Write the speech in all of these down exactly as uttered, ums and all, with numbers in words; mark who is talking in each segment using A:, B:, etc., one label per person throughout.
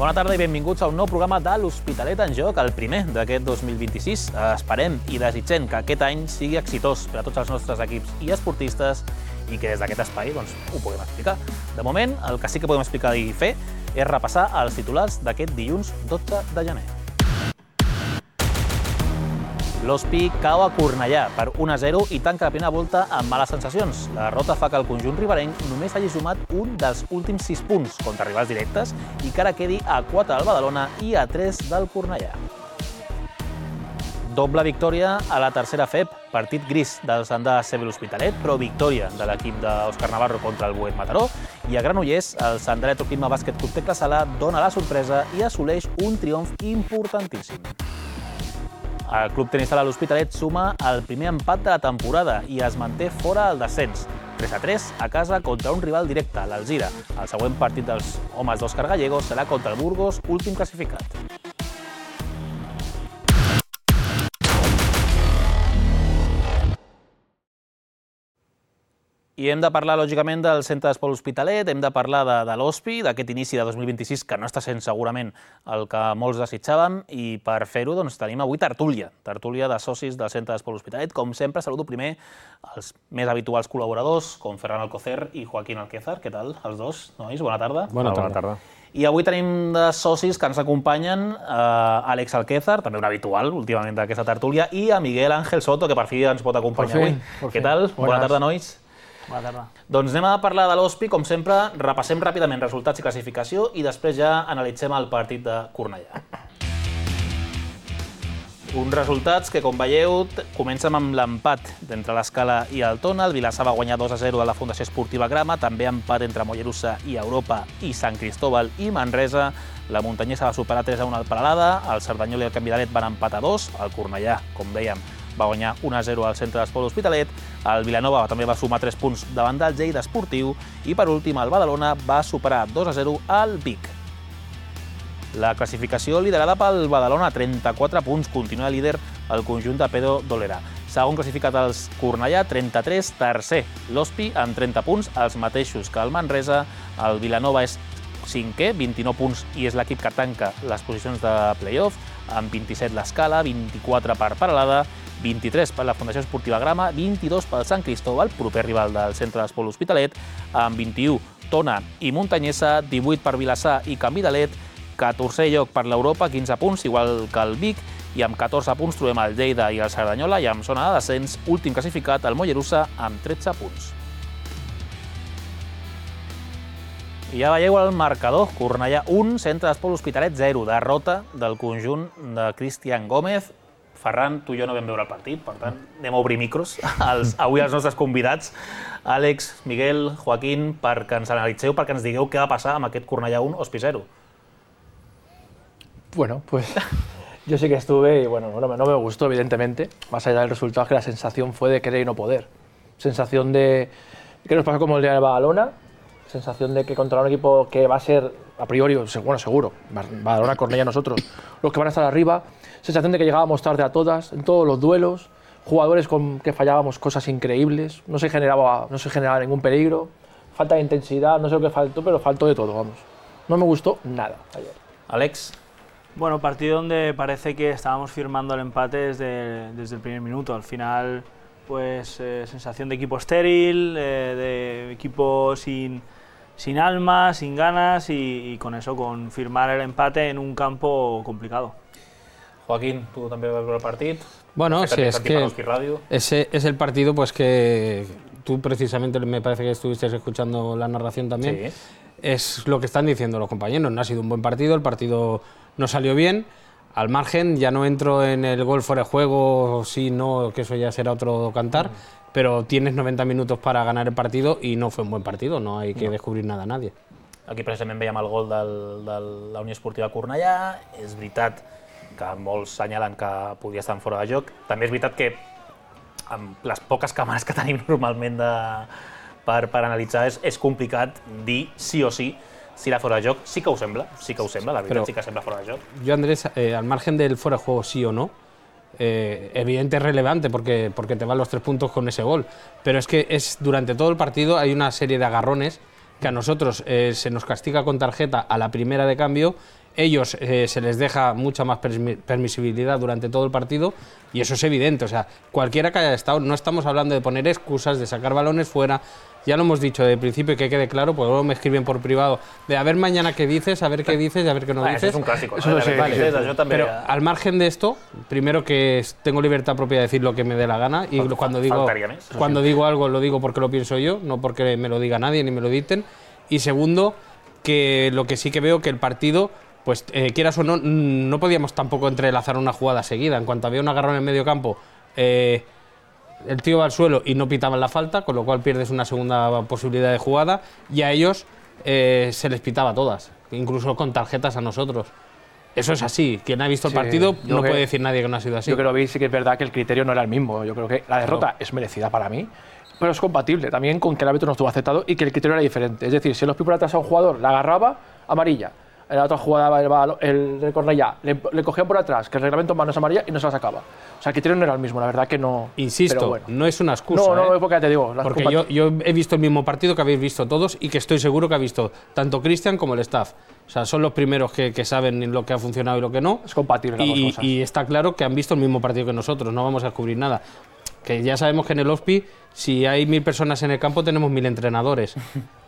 A: Bona tarda i benvinguts a un nou programa de l'Hospitalet en Joc, el primer d'aquest dos mil vint-i-sis. Esperem i desitgem que aquest any sigui exitós per a tots els nostres equips i esportistes i que des d'aquest espai doncs, ho puguem explicar. De moment, el que sí que podem explicar i fer és repassar els titulars d'aquest dilluns dotze de gener. L'Hospi cau a Cornellà per un a zero i tanca la primera volta amb males sensacions. La derrota fa que el conjunt riberenc només hagi sumat un dels últims sis punts contra rivals directes i que ara quedi a quatre del Badalona i a tres del Cornellà. Doble victòria a la tercera F E P, partit gris del Sandà C B l'Hospitalet, però victòria de l'equip d'Òscar Navarro contra el Boet Mataró. I a Granollers, el Sandà Electroclima Bàsquet Club Tecla Sala dona la sorpresa i assoleix un triomf importantíssim. El Club Tenis Sala l'Hospitalet suma el primer empat de la temporada i es manté fora del descens. tres a tres a casa contra un rival directe, l'Alzira. El següent partit dels homes d'Òscar Gallego serà contra el Burgos, últim classificat. I hem de parlar, lògicament, del Centre d'Esport Hospitalet, hem de parlar de, de l'Hospi, d'aquest inici de dos mil vint-i-sis, que no està sent segurament el que molts desitjàvem, i per fer-ho doncs, tenim avui tertúlia, tertúlia de socis del Centre d'Esport Hospitalet. Com sempre, saludo primer els més habituals col·laboradors, com Ferran Alcocer i Joaquín Alquézar. Què tal, els dos, nois? Bona tarda.
B: Bona tarda. Bona tarda.
A: I avui tenim de socis que ens acompanyen eh, Àlex Alquézar, també un habitual últimament d'aquesta tertúlia, i a Miguel Ángel Soto, que per fi ens pot acompanyar avui. Què tal? Bona tarda, nois.
C: Bona tarda.
A: Doncs anem a parlar de l'Hospi, com sempre, repassem ràpidament resultats i classificació i després ja analitzem el partit de Cornellà. Uns resultats que, com veieu, comencen amb l'empat entre l'Escala i el Tona. El Vilassar va guanyar dos a zero a la Fundació Esportiva Grama, també empat entre Mollerussa i Europa i Sant Cristóbal i Manresa. La Muntanyesa va superar tres a un al Peralada, el Cerdanyol i el Canvidalet van empatar a dos, el Cornellà, com dèiem, va guanyar un a zero al Centre d'Esport Hospitalet, el Vilanova també va sumar tres punts davant del Lleida Esportiu i, per últim, el Badalona va superar dos a zero al Vic. La classificació liderada pel Badalona, trenta-quatre punts, continua líder el conjunt de Pedro Dolera. Segon classificat els Cornellà, trenta-tres, tercer l'Hospi amb trenta punts, els mateixos que el Manresa. El Vilanova és cinquè, vint-i-nou punts, i és l'equip que tanca les posicions de play-off, amb vint-i-set l'Escala, vint-i-quatre per Peralada, vint-i-tres per la Fundació Esportiva Grama, vint-i-dos pel Sant Cristóbal, proper rival del Centre d'Esport Hospitalet, amb vint-i-u Tona i Muntanyesa, divuit per Vilassar i Canvidalet, catorzè lloc per l'Europa, quinze punts, igual que el Vic, i amb catorze punts trobem el Lleida i el Cerdanyola, i amb zona de descens, últim classificat, el Mollerussa, amb tretze punts. I ja veieu el marcador, Cornellà un, Centre d'Esport Hospitalet zero, derrota del conjunt de Cristian Gómez. Ferran, tu i jo no vam veure el partit, per tant, anem a obrir micros als, avui als nostres convidats, Àlex, Miguel, Joaquín, perquè ens analitzeu, perquè ens digueu què va passar amb aquest Cornellà un, Hospi zero.
C: Bueno, pues yo sí que estuve y bueno, no, no me gustó, evidentemente, más allá del resultado, que la sensación fue de querer y no poder. Sensación de que nos pasó como el día de Badalona, sensación de que contra un equipo que va a ser, a priori, bueno, seguro, Badalona, Cornellà, nosotros, los que van a estar arriba, sensación de que llegábamos tarde a todas, en todos los duelos, jugadores con que fallábamos cosas increíbles, no se generaba, no se generaba ningún peligro, falta de intensidad, no sé lo que faltó, pero faltó de todo, vamos. No me gustó nada ayer.
A: Àlex.
D: Bueno, partido donde parece que estábamos firmando el empate desde, desde el primer minuto. Al final, pues eh, sensación de equipo estéril, eh, de equipo sin, sin alma, sin ganas y, y con eso, con firmar el empate en un campo complicado.
A: Joaquín, tú también vas a ver el partido.
B: Bueno, sí, es que ese es el partido pues que tú precisamente me parece que estuviste escuchando la narración también. Sí. Es lo que están diciendo los compañeros, no ha sido un buen partido, el partido no salió bien. Al margen, ya no entro en el gol fuera de juego, sí, no, que eso ya será otro cantar, uh-huh. Pero tienes noventa minutos para ganar el partido y no fue un buen partido, no hay que no. descobrir nada a nadie.
A: Aquí precisament veiem el gol del, de la Unió Esportiva Cornellà, és veritat que molts senyalen que podia estar fora de joc. També és veritat que amb les poques càmeres que tenim normalment de, per, per analitzar és, és complicat dir sí o sí si era fora de joc. Sí que ho sembla, sí que ho sembla, la veritat. Però sí que sembla fora de joc.
B: Yo, Andrés, eh, al margen del fuera de juego sí o no, eh, evidente es relevante porque, porque te van los tres puntos con ese gol, pero es que es durante todo el partido hay una serie de agarrones que a nosotros eh, se nos castiga con tarjeta a la primera de cambio ellos eh, se les deja mucha más permisibilidad durante todo el partido y eso es evidente. O sea, cualquiera que haya estado, no estamos hablando de poner excusas, de sacar balones fuera. Ya lo hemos dicho de principio y que quede claro, porque luego me escriben por privado de a ver mañana qué dices, a ver qué dices y a ver qué no
A: ah,
B: dices.
A: Eso es un clásico.
B: Eso
A: ¿no?
B: sí, vale.
A: Sí, yo també...
B: Pero al margen de esto, primero que tengo libertad propia de decir lo que me dé la gana y Falt, cuando digo cuando digo algo lo digo porque lo pienso yo, no porque me lo diga nadie ni me lo dicten. Y segundo, que lo que sí que veo que el partido, pues eh, quieras o no, no podíamos tampoco entrelazar una jugada seguida. En cuanto había un agarrón en el medio campo, eh, el tío va al suelo y no pitaban la falta, con lo cual pierdes una segunda posibilidad de jugada y a ellos eh, se les pitaba todas, incluso con tarjetas a nosotros. Eso es así. Quien ha visto el sí, partido no que, puede decir nadie que no ha sido así.
C: Yo creo que lo vi, sí que es verdad que el criterio no era el mismo. Yo creo que la derrota claro. es merecida para mí, pero es compatible también con que el árbitro no estuvo aceptado y que el criterio era diferente. Es decir, si los por atrás a un jugador la agarraba, amarilla. En la otra jugada el, el Cornellà le, le cogían por atrás, que el reglamento en mano es amarilla y no se la sacaba. O sea, el criterio no era el mismo, la verdad que no.
B: Insisto,
C: bueno.
B: no es una excusa.
C: No, no,
B: ¿eh?
C: porque ya te digo.
B: Porque yo, yo he visto el mismo partido que habéis visto todos y que estoy seguro que ha visto tanto Cristian como el staff. O sea, son los primeros que, que saben lo que ha funcionado y lo que no.
C: Es compatible las
B: y,
C: dos cosas.
B: Y está claro que han visto el mismo partido que nosotros, no vamos a descubrir nada. Que ya sabemos que en el Hospi, si hay mil personas en el campo, tenemos mil entrenadores.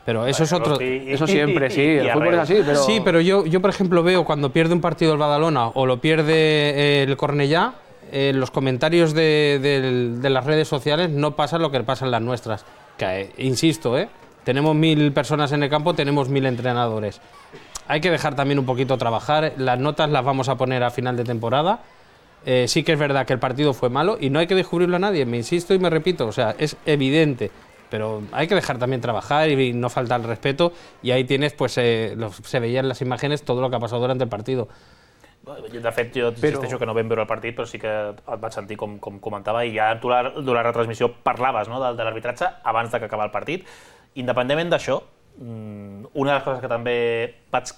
B: Pero eso es otro.
C: Eso siempre, sí. El fútbol es así, pero.
B: Sí, pero yo, yo, por ejemplo, veo cuando pierde un partido el Badalona o lo pierde el Cornellà, en los comentarios de, de, de las redes sociales no pasa lo que pasa en las nuestras. Que, eh, insisto, ¿eh? tenemos mil personas en el campo, tenemos mil entrenadores. Hay que dejar también un poquito trabajar. Las notas las vamos a poner a final de temporada. Eh, sí que es verdad que el partido fue malo y no hay que descubrirlo a nadie, me insisto y me repito, o sea, es evidente, pero hay que dejar también trabajar y no faltar el respeto y ahí tienes, pues eh, los, se veían las imágenes todo lo que ha pasado durante el partido.
A: De fet, jo insisteixo que no vam veure el partit, però sí que et vaig sentir com, com comentava i ja tu la, durant la retransmissió parlaves no, de, de l'arbitratge abans de que acabar el partit. Independentment d'això, una de les coses que també vaig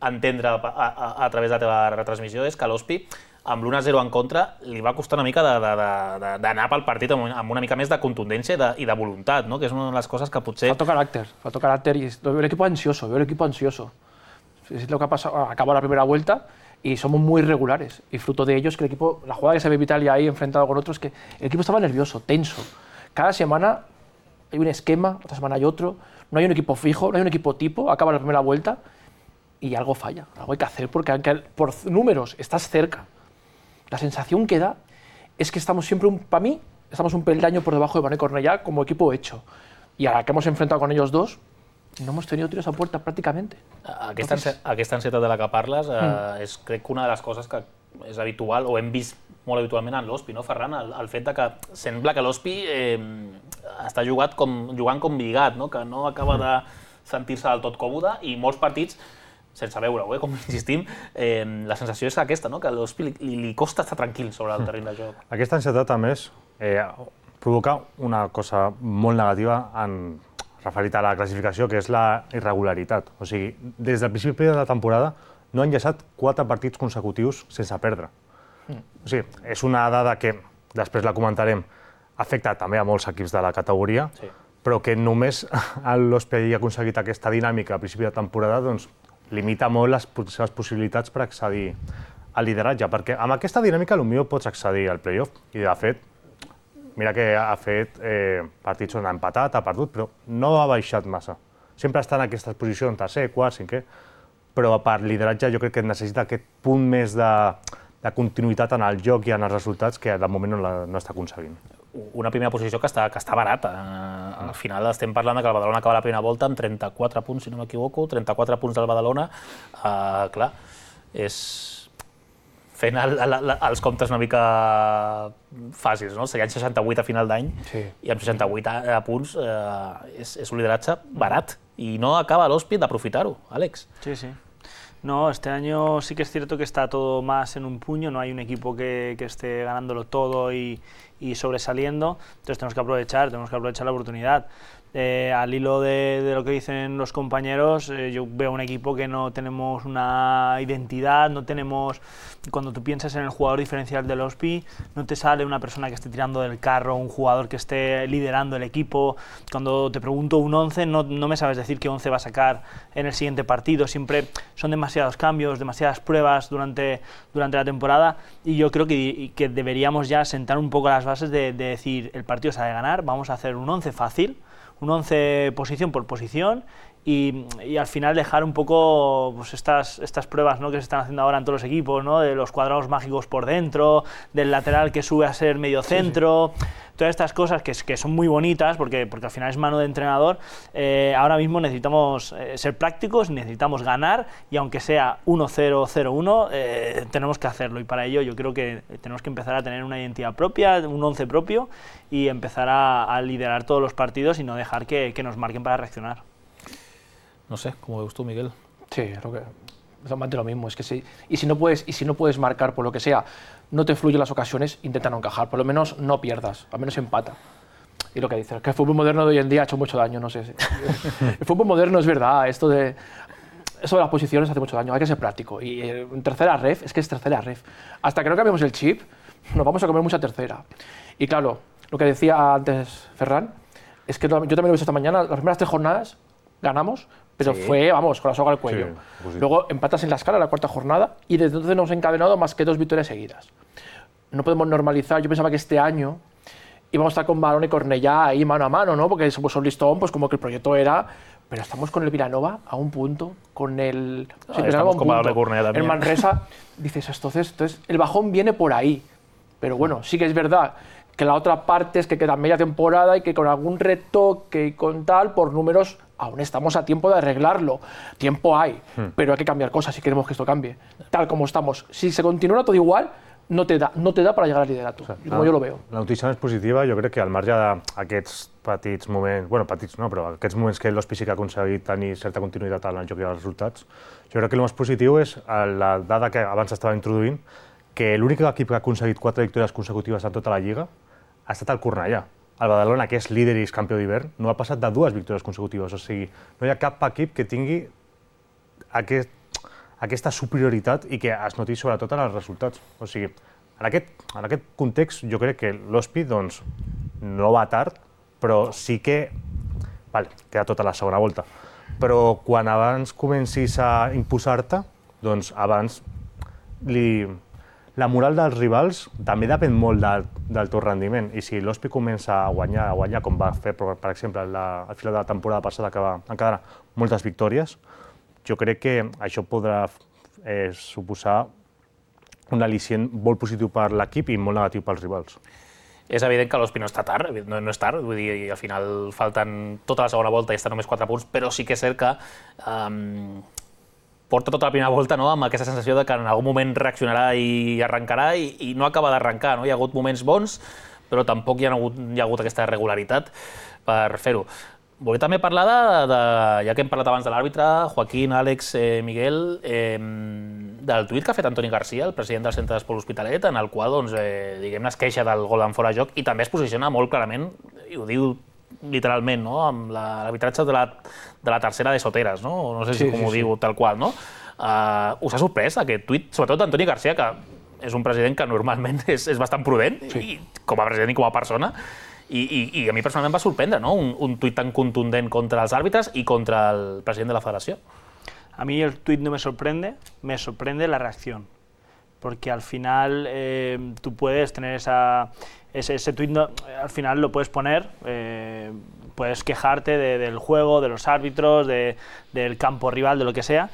A: entendre a, a, a través de la teva retransmissió és que l'Hospi amb l'u a zero en contra li va costar una mica d'anar pel partit amb una mica més de contundència i de, i de voluntat, ¿no? Que és una de les coses que potser...
C: Faltó carácter, faltó carácter y veo el equipo ansioso, veo el equipo ansioso. Es lo que ha pasado, acabó la primera vuelta y somos muy irregulares y fruto de ello es que el equipo, la jugada que se ve Italia ahí enfrentado con otros, que el equipo estaba nervioso, tenso. Cada semana hay un esquema, otra semana hay otro, no hay un equipo fijo, no hay un equipo tipo, acaba la primera vuelta y algo falla, algo hay que hacer porque aunque por números estás cerca, la sensación que da es que estamos siempre, un, para mí, estamos un peldaño por debajo de Badalona y Cornellà como equipo hecho. Y a la que hemos enfrentado con ellos dos, no hemos tenido tiros a puerta prácticamente.
A: Aquesta, Entonces... aquesta ansietat de la que parles eh, mm. és crec que una de les coses que és habitual o hem vist molt habitualment en l'Hospi, no, Ferran? El, el fet de que sembla que l'Hospi eh, està jugat com, jugant com lligat, no? Que no acaba de sentir-se del tot còmode i molts partits sense veure-ho, eh, com insistim, eh, la sensació és aquesta, no? Que a l'Hospi li, li costa estar tranquil sobre el terreny de joc.
E: Aquesta ansietat, a més, eh, provoca una cosa molt negativa en, referit a la classificació, que és la irregularitat. O sigui, des del principi de la temporada no han llançat quatre partits consecutius sense perdre. Mm. O sigui, és una dada que, després la comentarem, afecta també a molts equips de la categoria, sí. Però que només l'Hospi hagi aconseguit aquesta dinàmica al principi de temporada, doncs, limita molt les seves possibilitats per accedir al lideratge, perquè amb aquesta dinàmica potser pots accedir al playoff. I de fet, mira que ha fet eh, partits on ha empatat, ha perdut, però no ha baixat massa. Sempre està en aquesta posició, en tercer, quart, cinquè, però per lideratge jo crec que necessita aquest punt més de, de continuïtat en el joc i en els resultats que de moment no, la, no està aconseguint.
A: Una primera posició que està, que està barata. Al final estem parlant que el Badalona acaba la primera volta amb trenta-quatre punts, si no m'equivoco, trenta-quatre punts del Badalona. Uh, clar, és fent el, el, el, els comptes una mica fàcils, no? Serien seixanta-vuit a final d'any sí. I amb seixanta-vuit punts uh, és, és un lideratge barat i no acaba l'Hospi d'aprofitar-ho, Àlex.
D: Sí, sí. No, este año sí que es cierto que está todo más en un puño, no hay un equipo que, que esté ganándolo todo y, y sobresaliendo, entonces tenemos que aprovechar, tenemos que aprovechar la oportunidad. Eh, al hilo de, de lo que dicen los compañeros, eh, yo veo un equipo que no tenemos una identidad, no tenemos, cuando tú piensas en el jugador diferencial del Ospi, no te sale una persona que esté tirando del carro, un jugador que esté liderando el equipo. Cuando te pregunto un once, no, no me sabes decir qué once va a sacar en el siguiente partido, siempre son demasiados cambios, demasiadas pruebas durante, durante la temporada, y yo creo que, que deberíamos ya sentar un poco las bases de, de decir, el partido se ha de ganar, vamos a hacer un once fácil, un once posición por posición, y, y al final dejar un poco pues, estas, estas pruebas, ¿no?, que se están haciendo ahora en todos los equipos, ¿no?, de los cuadrados mágicos por dentro, del lateral que sube a ser medio centro, sí, sí. Todas estas cosas que, que son muy bonitas porque, porque al final es mano de entrenador. Eh, ahora mismo necesitamos eh, ser prácticos, necesitamos ganar, y aunque sea uno cero, cero uno, eh, tenemos que hacerlo, y para ello yo creo que tenemos que empezar a tener una identidad propia, un once propio, y empezar a, a liderar todos los partidos y no dejar que, que nos marquen para reaccionar.
A: No sé, ¿cómo ves tú, Miguel?
C: Sí, creo que es lo mismo. Es que sí. Y si no puedes, y si no puedes marcar por lo que sea, no te fluyen las ocasiones, intenta no encajar. Por lo menos no pierdas, al menos empata. Y lo que dices, que el fútbol moderno de hoy en día ha hecho mucho daño, no sé. El fútbol moderno es verdad, esto de, eso de las posiciones hace mucho daño, hay que ser práctico. Y en tercera ref, es que es tercera ref. Hasta que no cambiemos el chip, nos vamos a comer mucha tercera. Y claro, lo que decía antes Ferran, es que yo también lo he visto esta mañana, las primeras tres jornadas ganamos, pero sí, fue, vamos, con la soga al cuello. Sí, pues sí. Luego empatas en la escala la cuarta jornada y desde entonces no hemos encadenado más que dos victorias seguidas. No podemos normalizar, yo pensaba que este año íbamos a estar con Barón y Cornellá ahí mano a mano, ¿no? Porque somos un listón, pues como que el proyecto era, pero estamos con el Vilanova a un punto, con el...
A: Ah, sí, estamos con Barón y Cornellá también.
C: El Manresa, dices, entonces, entonces el bajón viene por ahí, pero bueno, sí que es verdad que la otra parte es que queda media temporada y que con algún retoque y con tal, por números, aún estamos a tiempo de arreglarlo. Tiempo hay, hmm. pero hay que cambiar cosas si queremos que esto cambie. Tal como estamos. Si se continúa todo igual, no te da, no te da para llegar al liderato, o sea, como
E: la,
C: jo lo veo.
E: La notícia més positiva, jo crec que al marge d'aquests petits moments, bueno, petits no, però aquests moments que l'Hospi sí que ha aconseguit tenir certa continuïtat en el joc i els resultats, jo crec que el més positiu és la dada que abans estava introduint, que l'únic equip que ha aconseguit quatre victòries consecutives en tota la Lliga ha estat el Cornellà. El Badalona, que és líder i és campió d'hivern, no ha passat de dues victòries consecutives. O sigui, no hi ha cap equip que tingui aquest, aquesta superioritat i que es noti sobretot en els resultats. O sigui, en aquest, en aquest context jo crec que l'Hospi doncs, no va tard, però sí que... Vale, queda tota la segona volta. Però quan abans comencis a imposar-te, doncs abans li... La moral dels rivals també depèn molt del, del teu rendiment, i si l'Hospi comença a guanyar, a guanyar com va fer, per exemple, la, al final de la temporada passada, que va encadenar moltes victòries, jo crec que això podrà eh, suposar un al·licient molt positiu per l'equip i molt negatiu pels rivals.
A: És evident que l'Hospi no està tard, no, no és tard, vull dir, al final falten tota la segona volta i estan només quatre punts, però sí que és cert que um, porta tota la primera volta, no?, amb aquesta sensació de que en algun moment reaccionarà i arrencarà i, i no acaba d'arrencar, no? Hi ha hagut moments bons, però tampoc hi ha hagut, hi ha hagut aquesta regularitat per fer-ho. Volia també parlar de, de, ja que hem parlat abans de l'àrbitre, Joaquín, Àlex, eh, Miguel, eh, del tuit que ha fet Antoni Garcia, el president del Centre d'Esport L'Hospitalet, en el qual, doncs, eh, diguem-ne, es queixa del gol en fora de joc i també es posiciona molt clarament, i ho diu literalment, no?, amb l'arbitratge de, la, de la tercera de Soteres, no? No sé si sí, com sí, ho diu sí. Tal qual, no? Uh, us ha sorprès aquest tuit, sobretot d'Antoni Garcia, que és un president que normalment és, és bastant prudent, sí. i, com a president i com a persona, i, i, i a mi personalment va sorprendre, no?, un, un tuit tan contundent contra els àrbitres i contra el president de la federació.
D: A mí el tuit no me sorprende, me sorprende la reacción, porque al final eh, tú puedes tener esa... Ese, ese tuit no, al final lo puedes poner, eh, puedes quejarte de, del juego, de los árbitros, de, del campo rival, de lo que sea,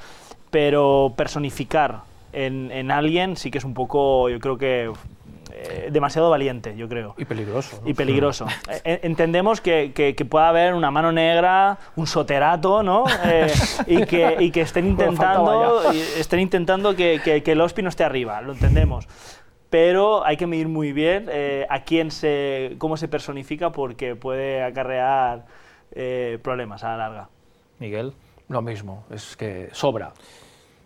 D: pero personificar en, en alguien sí que es un poco, yo creo que eh, demasiado valiente, yo creo.
C: Y peligroso, ¿no?
D: Y peligroso. eh, entendemos que, que, que pueda haber una mano negra, un soterato, ¿no? Eh, y, que, y que estén intentando, estén intentando que, que, que el Hospi no esté arriba, lo entendemos. Pero hay que medir muy bien eh, a quién se, cómo se personifica, porque puede acarrear eh, problemas a la larga.
A: Miguel.
C: Lo mismo, es que sobra.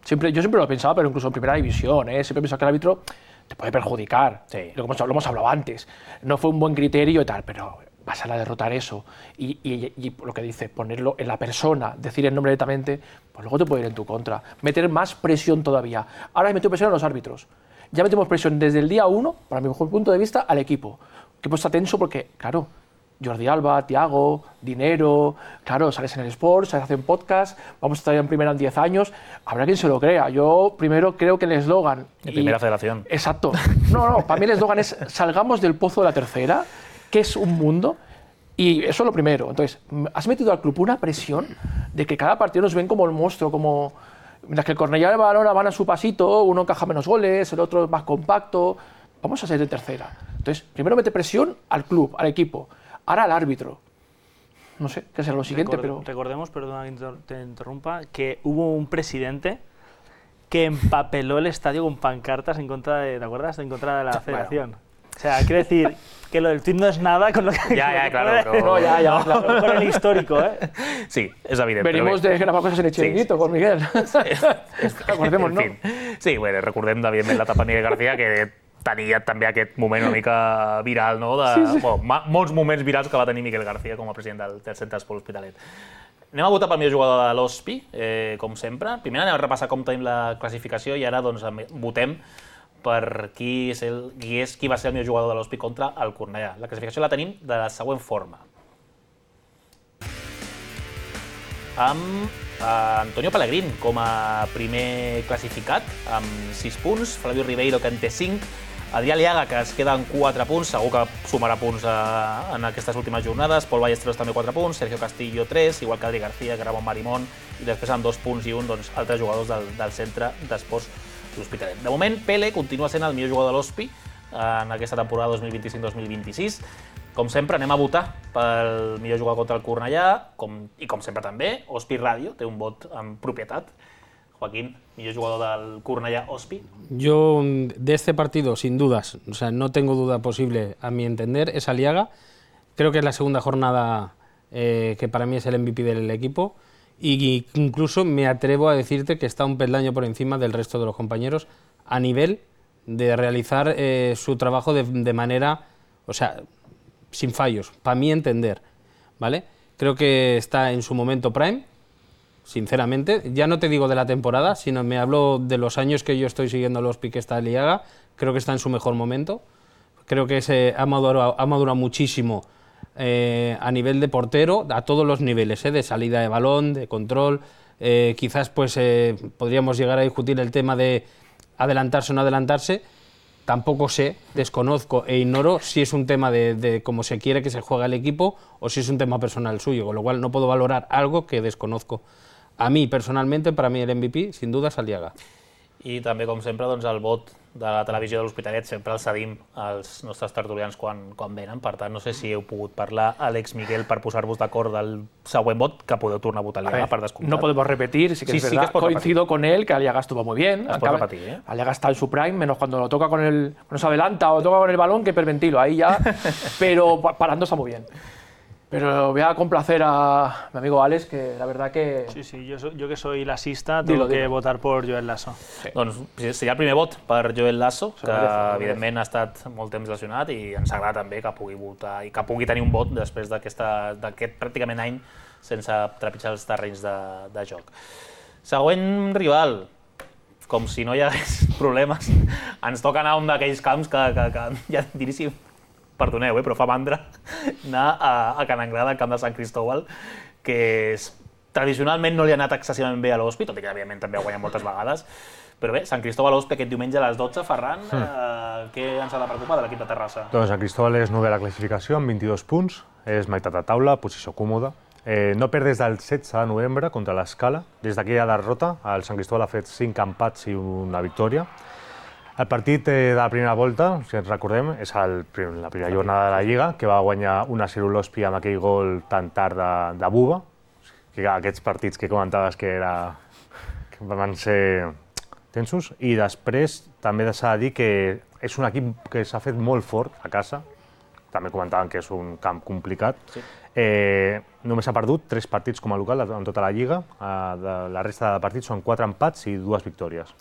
C: Siempre, yo siempre lo he pensado, pero incluso en primera división, ¿eh? Siempre he pensado que el árbitro te puede perjudicar.
A: Sí.
C: Lo, hemos, lo hemos hablado antes. No fue un buen criterio y tal, pero vas a derrotar eso y, y, y lo que dice, ponerlo en la persona, decir el nombre directamente, pues luego te puede ir en tu contra. Meter más presión todavía. Ahora he metido presión a los árbitros. Ya metemos presión desde el día uno, para mi mejor punto de vista, al equipo. El equipo está tenso porque, claro, Jordi Alba, Thiago, dinero, claro, sales en el Sport, sales en podcast, vamos a estar en primera en diez años, habrá quien se lo crea. Yo primero creo que el eslogan...
A: De primera federación.
C: Exacto. No, no, para mí el eslogan es salgamos del pozo de la tercera, que es un mundo, y eso es lo primero. Entonces, has metido al club una presión de que cada partido nos ven como el monstruo, como... Mientras que el Cornellá y el Badalona van a su pasito, uno encaja menos goles, el otro es más compacto, vamos a ser de tercera. Entonces, primero mete presión al club, al equipo. Ahora al árbitro. No sé qué será lo siguiente,
D: Record,
C: pero...
D: Recordemos, perdona que te interrumpa, que hubo un presidente que empapeló el estadio con pancartas en contra de, ¿te acuerdas? En contra de la federación. Bueno. O sea, quiero decir que lo del tuit no es nada con lo que...
A: Ya, ya, claro.
D: Puede,
A: Pero...
C: No, ya, ya, claro.
D: Con el histórico, ¿eh?
A: Sí, és evident.
C: Venimos de gravar cosas en el chiringuito sí, con Miguel. Recordemos,
A: en
C: no?
A: Fin. Sí, bueno, recordem, evidentment, la etapa Miguel García, que tenia també aquest moment una mica viral, no? De, sí, sí. Bueno, molts moments virals que va tenir Miguel García com a president del, del Centre d'Esport L'Hospitalet. Anem a votar pel millor jugador de l'Hospi, eh, com sempre. Primer anem a repassar com tenim la classificació i ara doncs, votem per qui, és el, qui, és, qui va ser el millor jugador de l'Hospi contra el Cornellà. La classificació la tenim de la següent forma. Amb eh, Antonio Pellegrín com a primer classificat, amb sis punts, Flavio Ribeiro, que en té cinc, Adrià Liaga, que es queda en quatre punts, segur que sumarà punts a, en aquestes últimes jornades, Pol Ballesteros també quatre punts, Sergio Castillo tres, igual que Adri García, que Ramon Marimón, i després amb dos punts i un, doncs, altres jugadors del, del Centre d'Esports L'Hospitalet. De moment, Pele continua sent el millor jugador de l'Hospi en aquesta temporada dos mil vint-i-cinc dos mil vint-i-sis. Com sempre, anem a votar pel millor jugador contra el Cornellà, com, i com sempre també, Hospi Ràdio té un vot en propietat. Joaquín, millor jugador del Cornellà Hospi.
B: Yo, de este partido, sin dudas, o sea, no tengo duda posible, a mi entender, es Aliaga. Creo que es la segunda jornada eh, que para mí es el M V P del equipo. Y incluso me atrevo a decirte que está un peldaño por encima del resto de los compañeros a nivel de realizar eh, su trabajo de, de manera, o sea, sin fallos, para mí entender, ¿vale? Creo que está en su momento prime, sinceramente. Ya no te digo de la temporada, sino me hablo de los años que yo estoy siguiendo a los Hospi que está Aliaga. Creo que está en su mejor momento. Creo que se ha madurado, ha madurado muchísimo eh, a nivel de portero, a todos los niveles, eh, de salida de balón, de control. Eh, quizás pues eh, podríamos llegar a discutir el tema de adelantarse o no adelantarse. Tampoco sé, desconozco e ignoro si es un tema de, de cómo se quiere que se juegue el equipo o si es un tema personal suyo, con lo cual no puedo valorar algo que desconozco. A mi, personalment, per a mi l'M V P, sin duda, és Aliaga.
A: I també, com sempre, doncs, el vot de la televisió de l'Hospitalet sempre el cedim als nostres tertulians quan, quan venen. Per tant, no sé si heu pogut parlar, Àlex, Miguel, per posar-vos d'acord del següent vot, que podeu tornar a votar Aliaga, per descomptat.
C: No podemos repetir, sí que
A: sí,
C: es verdad.
A: Sí que
C: Coincido
A: repetir.
C: con él, que Aliaga estuvo muy bien.
A: Es puede repetir, ¿eh?
C: Aliaga está en su prime, menos cuando lo toca con el... Cuando se adelanta o toca con el balón, que hiperventilo, ahí ya... Pero parando está muy bien. Pero voy a complacer a mi amigo Alex, que la verdad que...
D: Sí, sí, yo, yo que soy lasista, tengo
C: dilo,
D: que
C: dilo.
D: votar por Joel Lasso.
A: Sí. Doncs seria el primer vot per Joel Lasso, que evidentment ha estat molt temps lesionat i ens agrada també que pugui votar i que pugui tenir un vot després d'aquest pràcticament any sense trepitjar els terrenys de, de joc. Següent rival, com si no hi hagués problemes, ens toca anar a un d'aquells camps que, que, que ja diríssim, perdoneu, eh, però fa mandra anar a, a Can Anglada, al camp de Sant Cristóbal, que és, tradicionalment no li ha anat excessivament bé a l'Hospi, tot i que evidentment també ha guanyat moltes vegades, però bé, Sant Cristóbal Hospi aquest diumenge a les dotze, Ferran, mm. eh, què ens ha de preocupar de l'equip de Terrassa?
E: Doncs Sant Cristóbal és novè a la classificació amb vint-i-dos punts, és meitat de taula, posició còmoda. Eh, no perd des del setze de novembre contra l'Escala. Des d'aquella derrota, el Sant Cristóbal ha fet cinc empats i una victòria. El partit de la primera volta, si ens recordem, és el, la primera jornada de la Lliga, que va guanyar un a zero l'Hospi amb aquell gol tan tard de, de Buba. Que aquests partits que comentaves que, era, que van ser tensos. I després també s'ha de dir que és un equip que s'ha fet molt fort a casa. També comentaven que és un camp complicat. Sí. Eh, només ha perdut tres partits com a local en tota la Lliga. Eh, de la resta de partits són quatre empats i dues victòries.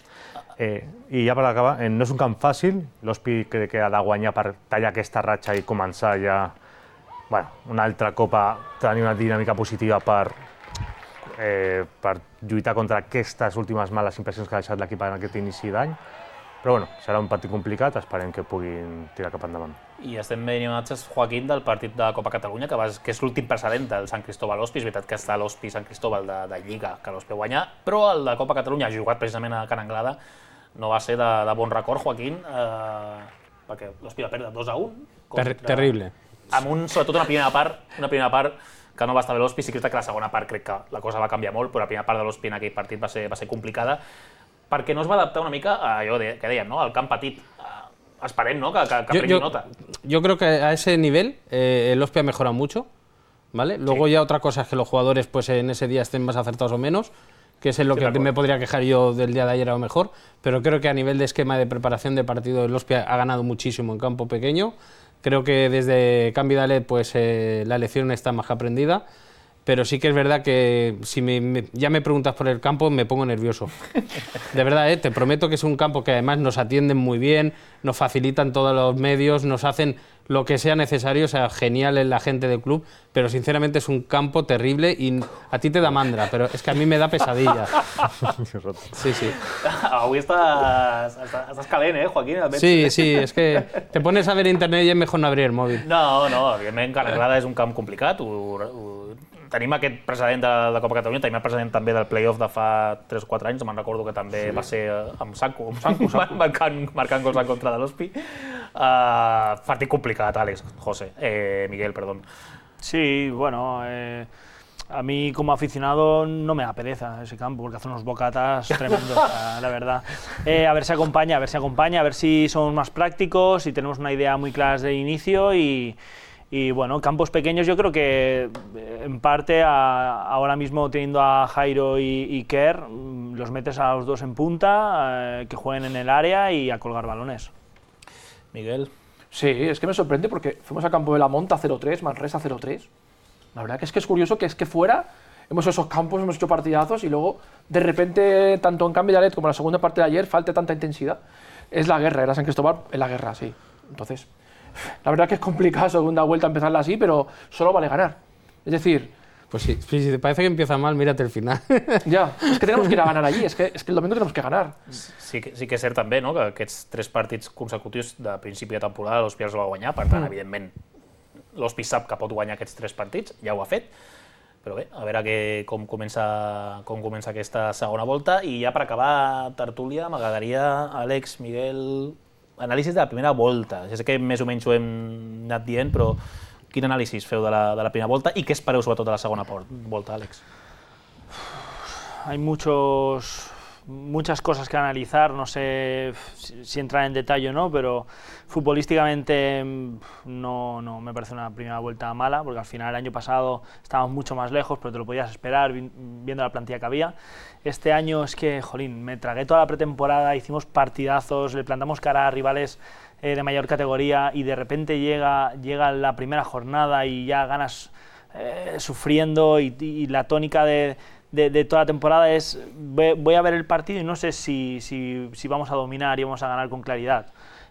E: Eh, I ja per acabar, eh, no és un camp fàcil, l'Hospi crec que ha de guanyar per tallar aquesta ratxa i començar ja bueno, una altra copa tenir una dinàmica positiva per, eh, per lluitar contra aquestes últimes males impressions que ha deixat l'equip en aquest inici d'any. Però bueno, serà un partit complicat, esperem que puguin tirar cap endavant.
A: I estem veient imatges, Joaquín, del partit de Copa Catalunya, que, va, que és l'últim precedent del Sant Cristóbal-Ospi. És veritat que està l'Ospi-Sant Cristóbal de, de Lliga, que l'Ospi guanyar, però el de Copa Catalunya, jugat precisament a Can Anglada, no va ser de, de bon record, Joaquín, eh, perquè l'Ospi va perdre dos a un.
B: Contra... Terrible.
A: Amb un, sobretot una primera part, una primera part que no va estar bé l'Ospi. Sí que és que la segona part crec que la cosa va canviar molt, però la primera part de l'Ospi en aquell partit va ser, va ser complicada, perquè no es va adaptar una mica a allò de, que dèiem, ¿no? Al camp petit. Uh, esperem, ¿no? que, que, que prengui nota.
B: Yo creo que a ese nivel eh, el Ospi ha mejorado mucho, ¿vale? Luego sí. Ya otra cosa es que los jugadores pues en ese día estén más acertados o menos, que es en lo sí, que me podría quejar yo del día de ayer a lo mejor, pero creo que a nivel de esquema de preparación de partido el Ospi ha ganado muchísimo en campo pequeño. Creo que desde Can Vidalet pues eh, la lección está más que aprendida, pero sí que es verdad que si me, me, ya me preguntas por el campo me pongo nervioso. De verdad, ¿eh? Te prometo que es un campo que además nos atienden muy bien, nos facilitan todos los medios, nos hacen lo que sea necesario, o sea, genial es la gente del club, pero sinceramente es un campo terrible y a ti te da mandra, pero es que a mí me da pesadilla. Sí, sí.
A: Avui estàs, estàs calent, eh, Joaquín?
B: Sí, sí, es que te pones a ver internet y es mejor no abrir el móvil.
A: No, no, evidentment Can Anglada és un camp complicat, ho, ho, tenim aquest precedent de la Copa Catalunya, tenim el precedent també del play-off de fa tres o quatre anys, me'n recordo que també sí. va ser amb Sanco, amb Sanco, Sanco. Marcant, marcant gols en contra de l'Ospi. Uh, partit complicat, Àlex, José, eh, Miguel, perdón.
D: Sí, bueno, eh, a mí como aficionado no me da pereza ese campo, porque hace unos bocatas tremendos, la, la verdad. Eh, a ver si acompaña, a ver si acompaña, a ver si somos más prácticos, si tenemos una idea muy clara desde el inicio y... Y bueno, campos pequeños yo creo que en parte a, ahora mismo teniendo a Jairo y, y Kerr, los metes a los dos en punta, eh, que jueguen en el área y a colgar balones.
A: Miguel.
C: Sí, es que me sorprende porque fuimos a Campo de la Monta cero tres, Manresa cero tres. La verdad que es que es curioso que es que fuera hemos hecho esos campos, hemos hecho partidazos y luego de repente tanto en Can Vidalet como en la segunda parte de ayer falte tanta intensidad. Es la guerra, era San Cristóbal en la guerra, sí. Entonces... La verdad que es complicado segunda vuelta empezarla así, pero solo vale ganar. Es decir...
B: Pues sí, si te parece que empieza mal, mírate el final.
C: Ja, és que tenemos que ir a ganar allí, és que, és que el domingo tenemos que ganar.
A: Sí, sí que és cert també, no?, que aquests tres partits consecutius de principi de temporada l'Ospi els va guanyar, per tant, mm. evidentment, l'Ospi sap que pot guanyar aquests tres partits, ja ho ha fet, però bé, a veure que, com, comença, com comença aquesta segona volta. I ja per acabar tertúlia, m'agradaria, Àlex, Miguel... Anàlisis de la primera volta. Ja sé que més o menys ho hem anat dient, però quin anàlisi feu de la, de la primera volta i què espereu sobretot de la segona volta, Àlex?
D: Hay muchos, muchas cosas que analizar, no sé si, si entrar en detalle o no, pero futbolísticamente no, no me parece una primera vuelta mala, porque al final el año pasado estábamos mucho más lejos, pero te lo podías esperar viendo la plantilla que había. Este año es que, jolín, me tragué toda la pretemporada, hicimos partidazos, le plantamos cara a rivales eh, de mayor categoría y de repente llega, llega la primera jornada y ya ganas eh, sufriendo y, y la tónica de, de, de toda la temporada es voy a ver el partido y no sé si, si, si vamos a dominar y vamos a ganar con claridad.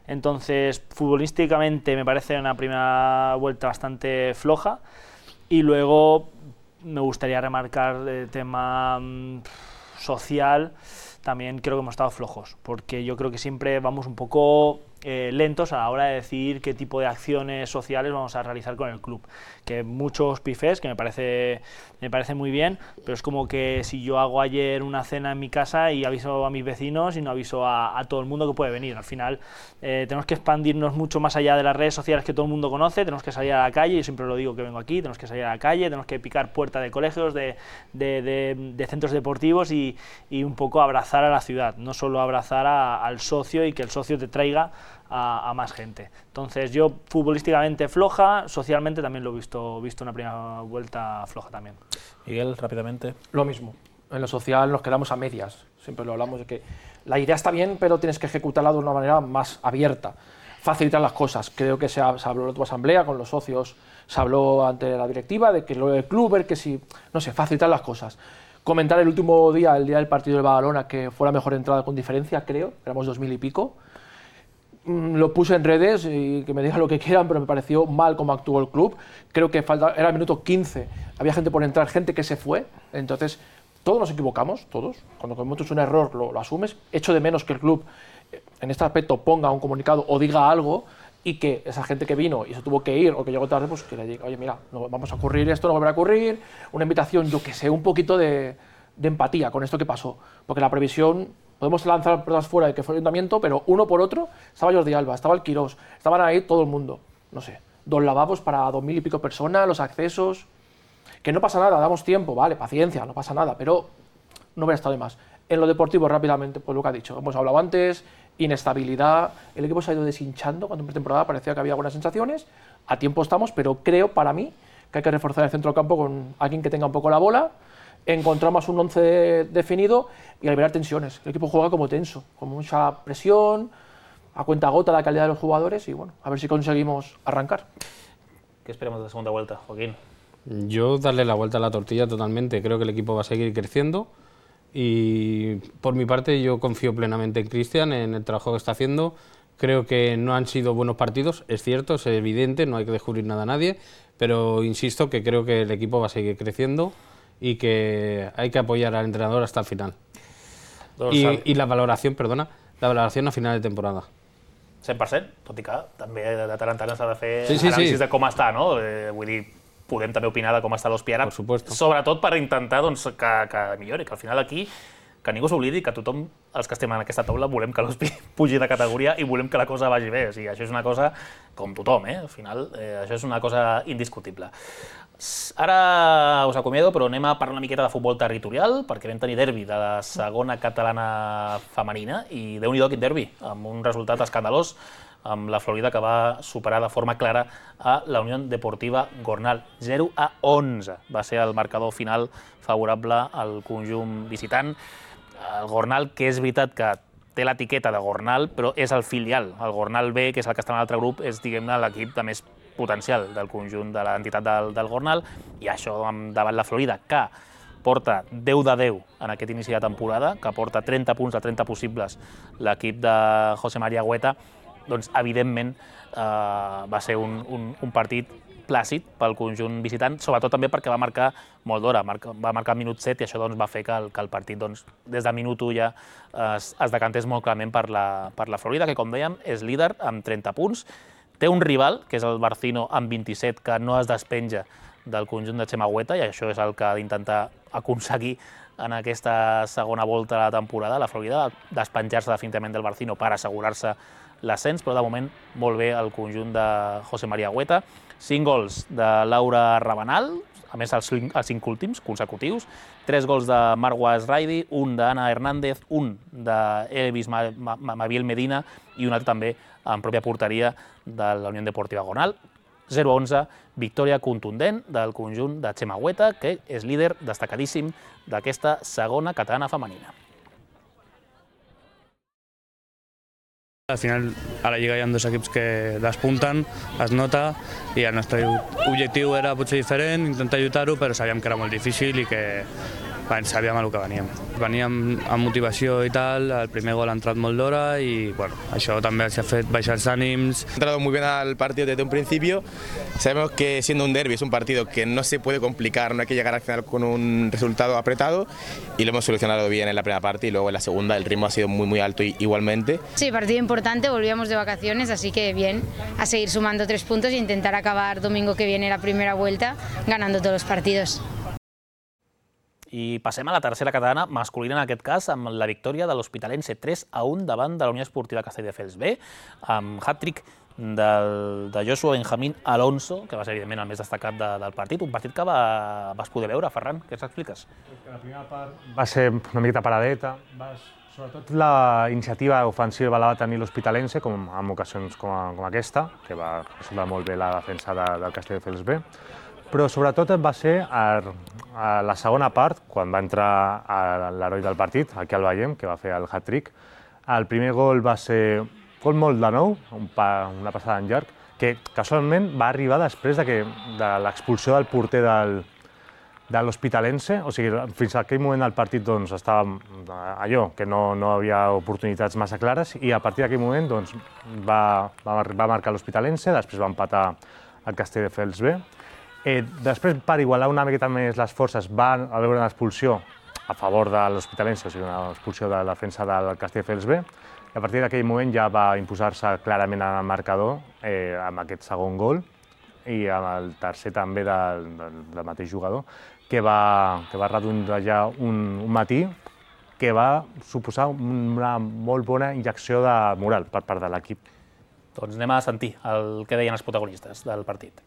D: Entonces, futbolísticamente me parece una primera vuelta bastante floja y luego me gustaría remarcar el tema mmm, social. También creo que hemos estado flojos, porque yo creo que siempre vamos un poco eh, lentos a la hora de decidir qué tipo de acciones sociales vamos a realizar con el club. Que muchos pifés, que me parece, me parece muy bien, pero es como que si yo hago ayer una cena en mi casa y aviso a mis vecinos y no aviso a, a todo el mundo que puede venir. Al final eh, tenemos que expandirnos mucho más allá de las redes sociales que todo el mundo conoce, tenemos que salir a la calle, yo siempre lo digo que vengo aquí, tenemos que salir a la calle, tenemos que picar puertas de colegios, de, de, de, de centros deportivos y, y un poco abrazar a la ciudad, no solo abrazar a, al socio y que el socio te traiga a, a más gente. Entonces yo futbolísticamente floja, socialmente también lo he visto, visto una primera vuelta floja también.
A: Miguel, rápidamente.
C: Lo mismo, en lo social nos quedamos a medias, siempre lo hablamos de que la idea está bien pero tienes que ejecutarla de una manera más abierta, facilitar las cosas. Creo que se, ha, se habló en tu asamblea con los socios, se habló ante la directiva de que lo del club, que si, no sé, facilitar las cosas. Comentar el último día, el día del partido del Badalona, que fue la mejor entrada con diferencia, creo, éramos dos mil y pico. lo puse en redes y que me digan lo que quieran, pero me pareció mal cómo actuó el club. Creo que falta, era el minuto quince, había gente por entrar, gente que se fue, entonces todos nos equivocamos, todos. Cuando cometes un error lo, lo asumes. Echo de menos que el club en este aspecto ponga un comunicado o diga algo y que esa gente que vino y se tuvo que ir o que llegó tarde, pues que le diga, oye, mira, no vamos a ocurrir esto, no volverá a ocurrir, una invitación, yo que sé, un poquito de, de empatía con esto que pasó, porque la previsión, podemos lanzar pelotas fuera de que fue el ayuntamiento, pero uno por otro, estaba Jordi Alba, estaba el Quirós, estaban ahí todo el mundo, no sé, dos lavabos para dos mil y pico personas, los accesos, que no pasa nada, damos tiempo, vale, paciencia, no pasa nada, pero no hubiera estado de más. En lo deportivo, rápidamente, pues lo que ha dicho, hemos hablado antes, inestabilidad, el equipo se ha ido deshinchando, cuando en pretemporada parecía que había buenas sensaciones, a tiempo estamos, pero creo, para mí, que hay que reforzar el centro del campo con alguien que tenga un poco la bola, encontrar más un once definido y liberar tensiones. El equipo juega como tenso, con mucha presión, a cuenta gota la calidad de los jugadores y bueno, a ver si conseguimos arrancar.
A: ¿Qué esperamos de la segunda vuelta, Joaquín?
B: Yo darle la vuelta a la tortilla totalmente, creo que el equipo va a seguir creciendo. Y por mi parte yo confío plenamente en Cristian, en el trabajo que está haciendo. Creo que no han sido buenos partidos, es cierto, es evidente, no hay que descubrir nada a nadie, pero insisto que creo que el equipo va a seguir creciendo y que hay que apoyar al entrenador hasta el final. I, I la valoració, perdona, la valoració a final de temporada.
A: cent per cent, tot i que també de tant en tant s'ha de fer
B: sí, sí,
A: anàlisis
B: sí.
A: de com està, no? Eh, vull dir, podem també opinar de com està l'Hospia ara,
B: supuesto.
A: Sobretot per intentar doncs, que, que millori, que al final aquí que ningú s'oblidi que tothom, els que estem en aquesta taula, volem que l'Hospi pugi de categoria i volem que la cosa vagi bé. O sigui, això és una cosa com tothom, eh? Al final, eh, això és una cosa indiscutible. Ara us acomiado, però anem a parlar una miqueta de futbol territorial, perquè vam tenir derbi de la segona catalana femenina, i Déu-n'hi-do quin derbi, amb un resultat escandalós, amb la Florida que va superar de forma clara a la Unió Deportiva Gornal. zero a onze va ser el marcador final favorable al conjunt visitant. El Gornal, que és veritat que té l'etiqueta de Gornal, però és el filial. El Gornal B, que és el que està en l'altre grup, és, diguem-ne, l'equip de més potencial del conjunt de l'entitat del, del Gornal, i això davant la Florida, que porta deu de deu en aquest inici de temporada, que porta trenta punts de trenta possibles l'equip de José María Hueta, doncs, evidentment, eh, va ser un, un, un partit plàcid pel conjunt visitant, sobretot també perquè va marcar molt d'hora, va marcar al minut set i això doncs, va fer que el, que el partit doncs, des de minut u ja es, es decantés molt clarament per la, per la Florida, que com dèiem és líder amb trenta punts, té un rival, que és el Barcino, amb vint-i-set, que no es despenja del conjunt de Chema Hueta, i això és el que ha d'intentar aconseguir en aquesta segona volta de la temporada, la Florida, despenjar-se definitivament del Barcino per assegurar-se l'ascens, però de moment molt bé el conjunt de José María Hueta. Cinc gols de Laura Rabanal, a més els cinc, els cinc últims consecutius, tres gols de Marwa Esraidi, un d'Anna Hernández, un d'Elvis Mabiel Medina i un altre també en pròpia porteria de la Unió Deportiva Gornal. zero a onze, victòria contundent del conjunt de Chema Hueta, que és líder destacadíssim d'aquesta segona catalana femenina.
F: Al final, a la Lliga hi ha dos equips que despunten, es nota, i el nostre objectiu era potser diferent, intentar lluitar-ho, però sabíem que era molt difícil i que bueno, sabíem a lo que veníem. Veníem amb motivació i tal, el primer gol ha entrat molt d'hora i bueno, això també ens ha fet baixar els ànims.
G: Ha entrado muy bien al partido desde un principio. Sabemos que siendo un derbi es un partido que no se puede complicar, no hay que llegar al final con un resultado apretado y lo hemos solucionado bien en la primera parte y luego en la segunda el ritmo ha sido muy muy alto igualmente.
H: Sí, partido importante, volvíamos de vacaciones, así que bien, a seguir sumando tres puntos e intentar acabar domingo que viene la primera vuelta ganando todos los partidos.
A: I passem a la tercera catalana masculina, en aquest cas, amb la victòria de l'Hospitalense tres a un davant de la Unió Esportiva Castelldefels B, amb hat-trick del, de Joshua Benjamín Alonso, que va ser, evidentment, el més destacat de, del partit. Un partit que va, vas poder veure, Ferran, què ens expliques?
E: La primera part va ser una miqueta paradeta, va, sobretot la iniciativa ofensiva la va tenir l'Hospitalense, com en ocasions com, com aquesta, que va resoldre molt bé la defensa de, del Castelldefels B, però sobretot va ser a, a la segona part, quan va entrar l'heroi del partit, aquí el veiem, que va fer el hat-trick. El primer gol va ser gol molt de nou, un pa, una passada en llarg, que casualment va arribar després de, que, de l'expulsió del porter del, de l'Hospitalense, o sigui, fins a aquell moment del partit doncs, estava allò, que no, no havia oportunitats massa clares, i a partir d'aquell moment doncs, va, va, va marcar l'Hospitalense, després va empatar el Castelldefels B. Eh, després, per igualar una miqueta més les forces, va haver una expulsió a favor de l'Hospitalense, o sigui, una expulsió de la defensa del Castelldefels B, i a partir d'aquell moment ja va imposar-se clarament en el marcador eh, amb aquest segon gol, i amb el tercer també del, del, del mateix jugador, que va, que va redondejar un, un matí que va suposar una molt bona injecció de moral per part de l'equip.
A: Doncs anem a sentir el que deien els protagonistes del partit.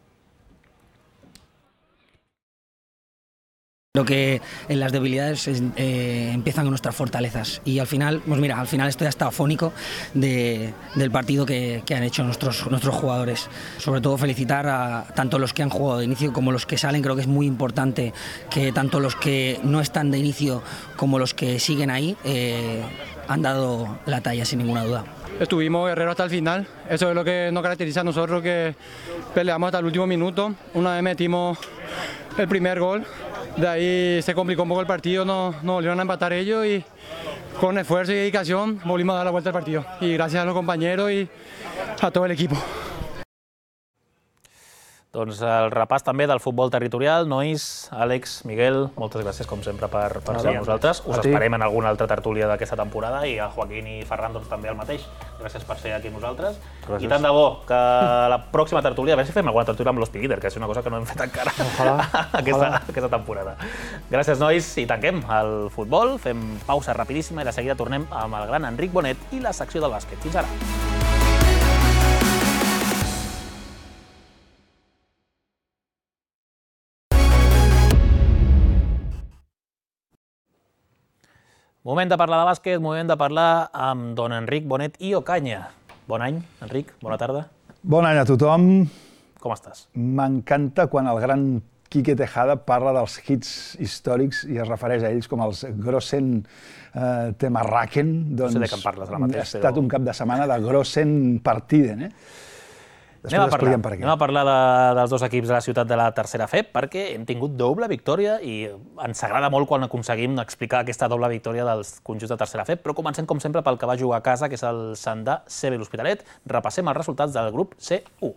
I: Creo que en las debilidades eh, empiezan nuestras fortalezas y al final, pues mira, al final estoy hasta afónico de, del partido que, que han hecho nuestros, nuestros jugadores. Sobre todo felicitar a tanto los que han jugado de inicio como los que salen. Creo que es muy importante que tanto los que no están de inicio como los que siguen ahí eh, han dado la talla sin ninguna duda.
J: Estuvimos guerreros hasta el final, eso es lo que nos caracteriza a nosotros, que peleamos hasta el último minuto. Una vez metimos el primer gol, de ahí se complicó un poco el partido, nos, nos volvieron a empatar ellos y con esfuerzo y dedicación volvimos a dar la vuelta al partido. Y gracias a los compañeros y a todo el equipo.
A: Doncs el repàs també del futbol territorial. Nois, Àlex, Miguel, moltes gràcies com sempre per, per ser amb nosaltres. Us esperem en alguna altra tertúlia d'aquesta temporada i a Joaquín i Ferran doncs, també el mateix. Gràcies per ser aquí amb nosaltres. Gràcies. I tant de bo que la pròxima tertúlia, a veure si fem alguna tertúlia amb l'Hosti Líder, que és una cosa que no hem fet encara ojalà, aquesta, ojalà. aquesta temporada. Gràcies, nois, i tanquem el futbol. Fem pausa rapidíssima i de seguida tornem amb el gran Enric Bonet i la secció del bàsquet. Fins ara. Moment de parlar de bàsquet, moment de parlar amb don Enric Bonet i Ocaña. Bon any, Enric, bona tarda.
K: Bon any a tothom.
A: Com estàs?
K: M'encanta quan el gran Quique Tejada parla dels hits històrics i es refereix a ells com els Grossen eh, Temarraken. Doncs,
A: no sé de què em parles ara mateix.
K: Ha estat però... un cap de setmana de Grossen Partiden, eh?
A: Anem a, parlar, anem a parlar de, dels dos equips de la ciutat de la tercera F E P perquè hem tingut doble victòria i ens agrada molt quan aconseguim explicar aquesta doble victòria dels conjunts de tercera F E P, però comencem com sempre pel que va jugar a casa, que és el Sandà C B l'Hospitalet. Repassem els resultats del grup C u.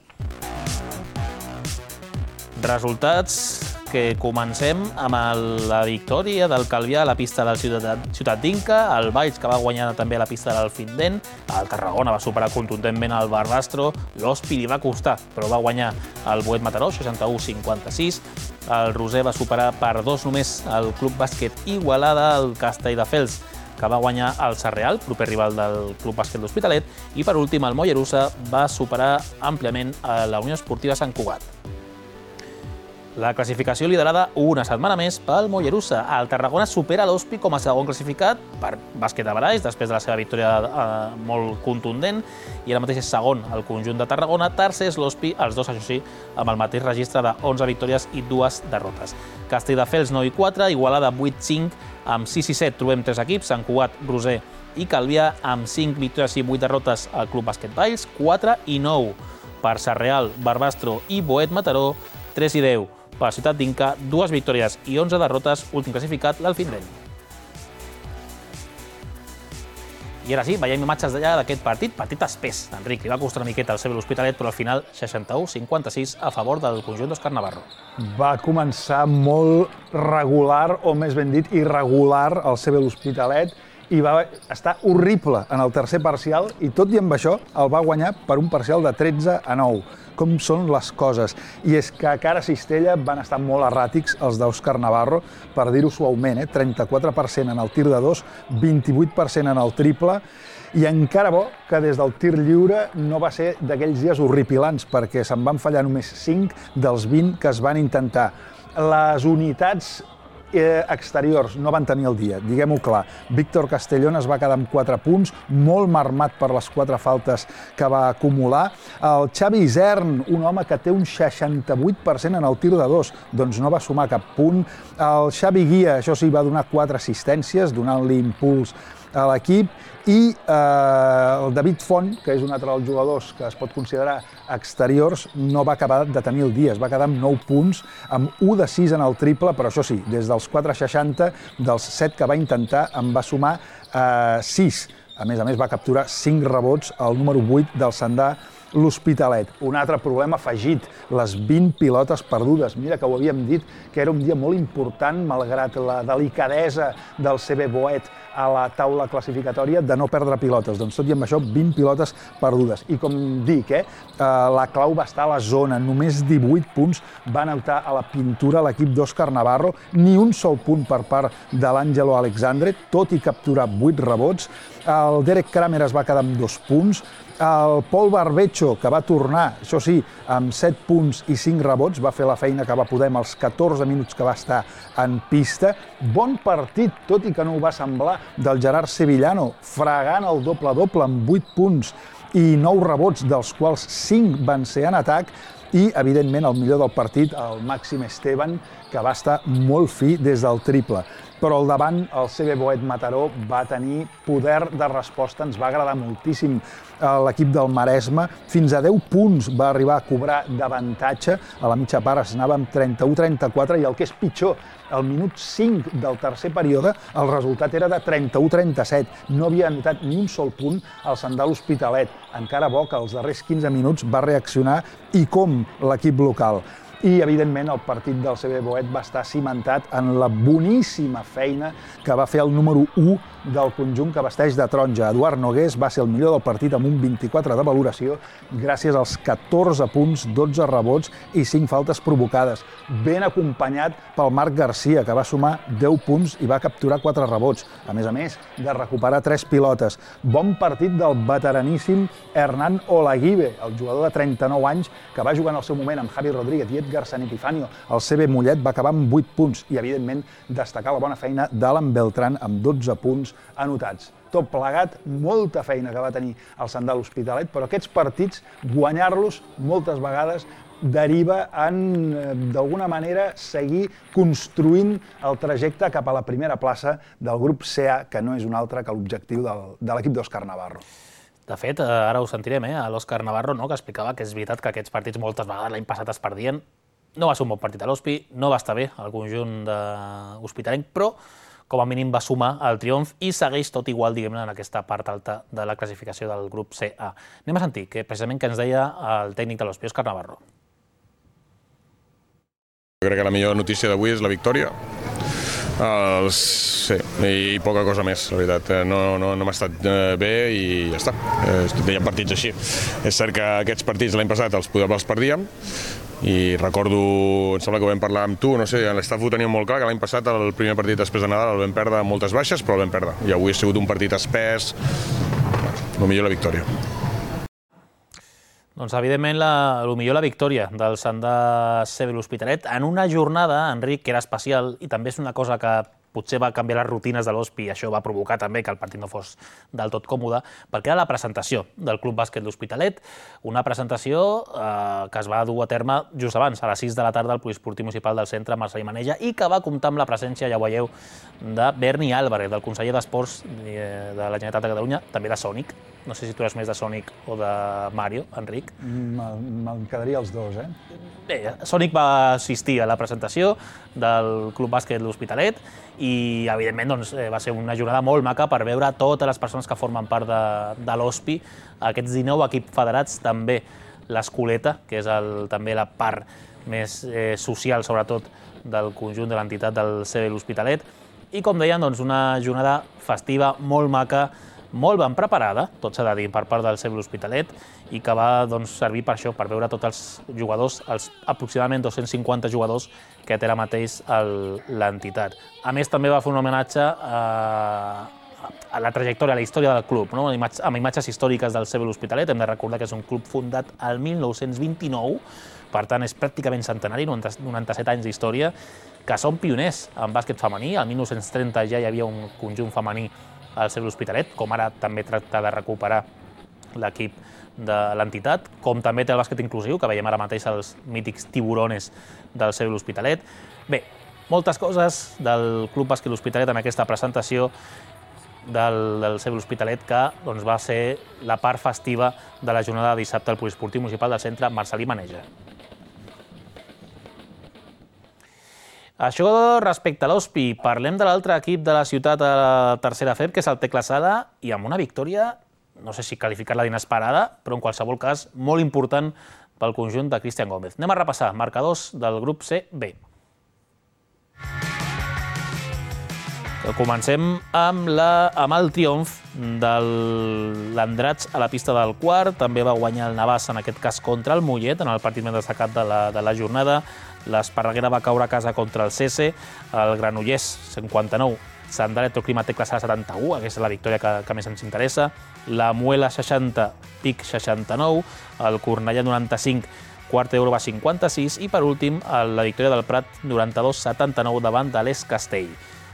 A: Resultats que comencem amb el, la victòria del Calvià a la pista de la Ciutat, Ciutat d'Inca, el Valls, que va guanyar també a la pista del Findent, el Tarragona va superar contundentment el Barbastro, l'Hospi li va costar, però va guanyar el Boet Mataró, seixanta-u a cinquanta-sis, el Roser va superar per dos només el Club Bàsquet Igualada, el Castelldefels, que va guanyar el Sarreal, proper rival del Club Bàsquet l'Hospitalet, i per últim el Mollerussa va superar àmpliament a la Unió Esportiva Sant Cugat. La classificació liderada una setmana més pel Mollerussa. El Tarragona supera l'Hospi com a segon classificat per bàsquet de Baraix, després de la seva victòria eh, molt contundent, i ara mateix és segon el conjunt de Tarragona. Tercer és l'Hospi, els dos, això sí, amb el mateix registre de onze victòries i dues derrotes. Castelldefels nou i quatre, Igualada vuit cinc, amb sis i set trobem tres equips, Sant Cugat, Roser i Calvià, amb cinc victòries i vuit derrotes al Club Bàsquet Valls, quatre i nou per Sarreal, Barbastro i Boet Mataró, tres i deu per Ciutat d'Inca, dues victòries i onze derrotes, últim classificat, l'Alfindent. I ara sí, veiem imatges d'allà d'aquest partit, partit espès. Enric, li va costar una miqueta al C B l'Hospitalet, però al final seixanta-u a cinquanta-sis a favor del conjunt d'Òscar Navarro.
K: Va començar molt regular, o més ben dit, irregular, el C B l'Hospitalet, i va estar horrible en el tercer parcial, i tot i amb això el va guanyar per un parcial de tretze a nou. Com són les coses. I és que a cara cistella van estar molt erràtics els d'Òscar Navarro, per dir-ho suaument, eh? trenta-quatre per cent en el tir de dos, vint-i-vuit per cent en el triple, i encara bo que des del tir lliure no va ser d'aquells dies horripilants, perquè se'n van fallar només cinc dels vint que es van intentar. Les unitats Eh, exteriors no van tenir el dia, diguem-ho clar. Víctor Castellón es va quedar amb quatre punts, molt marmat per les quatre faltes que va acumular. El Xavi Isern, un home que té un seixanta-vuit per cent en el tir de dos, doncs no va sumar cap punt. El Xavi Guia, això sí, va donar quatre assistències, donant-li impuls a l'equip, i el David Font, que és un altre dels jugadors que es pot considerar exteriors, no va acabar de tenir el dia, es va quedar amb nou punts, amb u de sis en el triple, però això sí, des dels quatre seixanta, dels set que va intentar, en va sumar sis. A més a més, va capturar cinc rebots, el número vuit del Sandà l'Hospitalet. Un altre problema afegit, les vint pilotes perdudes. Mira que ho havíem dit, que era un dia molt important, malgrat la delicadesa del C B Boet a la taula classificatòria, de no perdre pilotes. Doncs tot i amb això, vint pilotes perdudes. I com dic, eh, la clau va estar a la zona. Només divuit punts va anotar a la pintura l'equip d'Òscar Navarro, ni un sol punt per part de l'Àngelo Alexandre, tot i capturar vuit rebots. El Derek Kramer es va quedar amb dos punts. El Paul Barbecho, que va tornar, això sí, amb set punts i cinc rebots, va fer la feina que va poder amb els catorze minuts que va estar en pista. Bon partit, tot i que no ho va semblar, del Gerard Sevillano, fregant el doble-doble amb vuit punts i nou rebots, dels quals cinc van ser en atac, i, evidentment, el millor del partit, el Màxim Esteban, que va estar molt fi des del triple. Però al davant, el C B Boet Mataró va tenir poder de resposta, ens va agradar moltíssim l'equip del Maresme, fins a deu punts va arribar a cobrar d'avantatge, a la mitja part es anava amb trenta-u trenta-quatre, i el que és pitjor, al minut cinc del tercer període, el resultat era de trenta-u trenta-set. No havia anotat ni un sol punt al Sandà l'Hospitalet. Encara bo que als darrers quinze minuts va reaccionar, i com l'equip local. I, evidentment, el partit del C B Boet va estar cimentat en la boníssima feina que va fer el número u del conjunt que vesteix de taronja. Eduard Nogués va ser el millor del partit amb un vint-i-quatre de valoració, gràcies als catorze punts, dotze rebots i cinc faltes provocades. Ben acompanyat pel Marc Garcia, que va sumar deu punts i va capturar quatre rebots, a més a més de recuperar tres pilotes. Bon partit del veteraníssim Hernán Olaguibe, el jugador de trenta-nou anys, que va jugar en el seu moment amb Javi Rodríguez i Edgar San Epifanio. El C B Mollet va acabar amb vuit punts i, evidentment, destacar la bona feina d'Alan Beltrán amb dotze punts anotats. Tot plegat, molta feina que va tenir el Sandà l'Hospitalet, però aquests partits, guanyar-los moltes vegades, deriva en, d'alguna manera, seguir construint el trajecte cap a la primera plaça del grup C A, que no és un altre que l'objectiu de l'equip d'Òscar Navarro.
A: De fet, ara ho sentirem, eh, a l'Òscar Navarro, que explicava que és veritat que aquests partits moltes vegades l'any passat es perdien. No va ser un bon partit a l'Hospi, no va estar bé el conjunt hospitalenc, però com a mínim va sumar el triomf i segueix tot igual, diguem-ne, en aquesta part alta de la classificació del grup C A. Anem a sentir que precisament que ens deia el tècnic de l'Hospi, Òscar Navarro.
L: Jo crec que la millor notícia d'avui és la victòria. Els, sí, i poca cosa més, la veritat. No, no, no m'ha estat bé i ja està. Hi ha partits així. És cert que aquests partits l'any passat els, els perdíem i recordo, em sembla que ho vam parlar amb tu, no sé, l'estaf ho teníem molt clar, que l'any passat el primer partit després de Nadal el vam perdre amb moltes baixes, però el vam perdre. I avui ha sigut un partit espès, el millor la victòria.
A: Doncs, evidentment, el millor la victòria del Sandà C B l'Hospitalet en una jornada, Enric, que era especial, i també és una cosa que potser va canviar les rutines de l'Hospi i això va provocar també que el partit no fos del tot còmode, perquè era la presentació del Club Bàsquet l'Hospitalet, una presentació eh, que es va dur a terme just abans, a les sis de la tarda, al Poliesportiu Municipal del Centre, Marcelí Maneja, i que va comptar amb la presència, ja ho veieu, de Berni Álvarez, del conseller d'Esports de la Generalitat de Catalunya, també de Sònic. No sé si tu eres més de Sònic o de Mario, Enric.
K: Me'n quedaria els dos, eh?
A: Bé, Sònic va assistir a la presentació del Club Bàsquet l'Hospitalet i, evidentment, doncs, va ser una jornada molt maca per veure totes les persones que formen part de, de l'Hospi, aquests dinou equips federats, també l'Escoleta, que és el, també la part més eh, social, sobretot, del conjunt de l'entitat del C B l'Hospitalet. I, com deien, doncs, una jornada festiva, molt maca, molt ben preparada, tot s'ha de dir, per part del C B l'Hospitalet, i que va doncs, servir per això, per veure tots els jugadors, els aproximadament dos-cents cinquanta jugadors que té ara mateix l'entitat. A més, també va fer un homenatge a, a la trajectòria, a la història del club, no? Amb imatges històriques del C B l'Hospitalet. Hem de recordar que és un club fundat el mil nou-cents vint-i-nou, per tant és pràcticament centenari, noranta-set anys d'història, que són pioners en bàsquet femení. El mil nou-cents trenta ja hi havia un conjunt femení al C B l'Hospitalet, com ara també tracta de recuperar l'equip de l'entitat, com també té el bàsquet inclusiu, que veiem ara mateix els mítics tiburones del C B l'Hospitalet. Bé, moltes coses del Club Bàsquet l'Hospitalet en aquesta presentació. del C B l'Hospitalet, que va ser la part festiva de la jornada de dissabte al Poliesportiu Municipal del Centre Marcelí Maneja. Això respecte a l'Hospi, parlem de l'altre equip de la ciutat a la tercera F E B, que és el Tecla Sala, i amb una victòria, no sé si qualificar-la d'inesperada, però en qualsevol cas molt important pel conjunt de Cristian Gómez. Anem a repassar marcadors del grup C B. Comencem amb, la, amb el triomf de l'Andratx a la pista del quart. També va guanyar el Navàs, en aquest cas contra el Mollet, en el partit més destacat de la, de la jornada. L'Esparreguera va caure a casa contra el C S, el Granollers cinquanta-nou, Sant Electroclima Tecla Sala setanta-u, aquesta és la victòria que, que més ens interessa. La Muela seixanta, Pic seixanta-nou, el Cornellà noranta-cinc, Quart d'Euro va cinquanta-sis i per últim la victòria del Prat noranta-dos setanta-nou davant de l'Es Castell.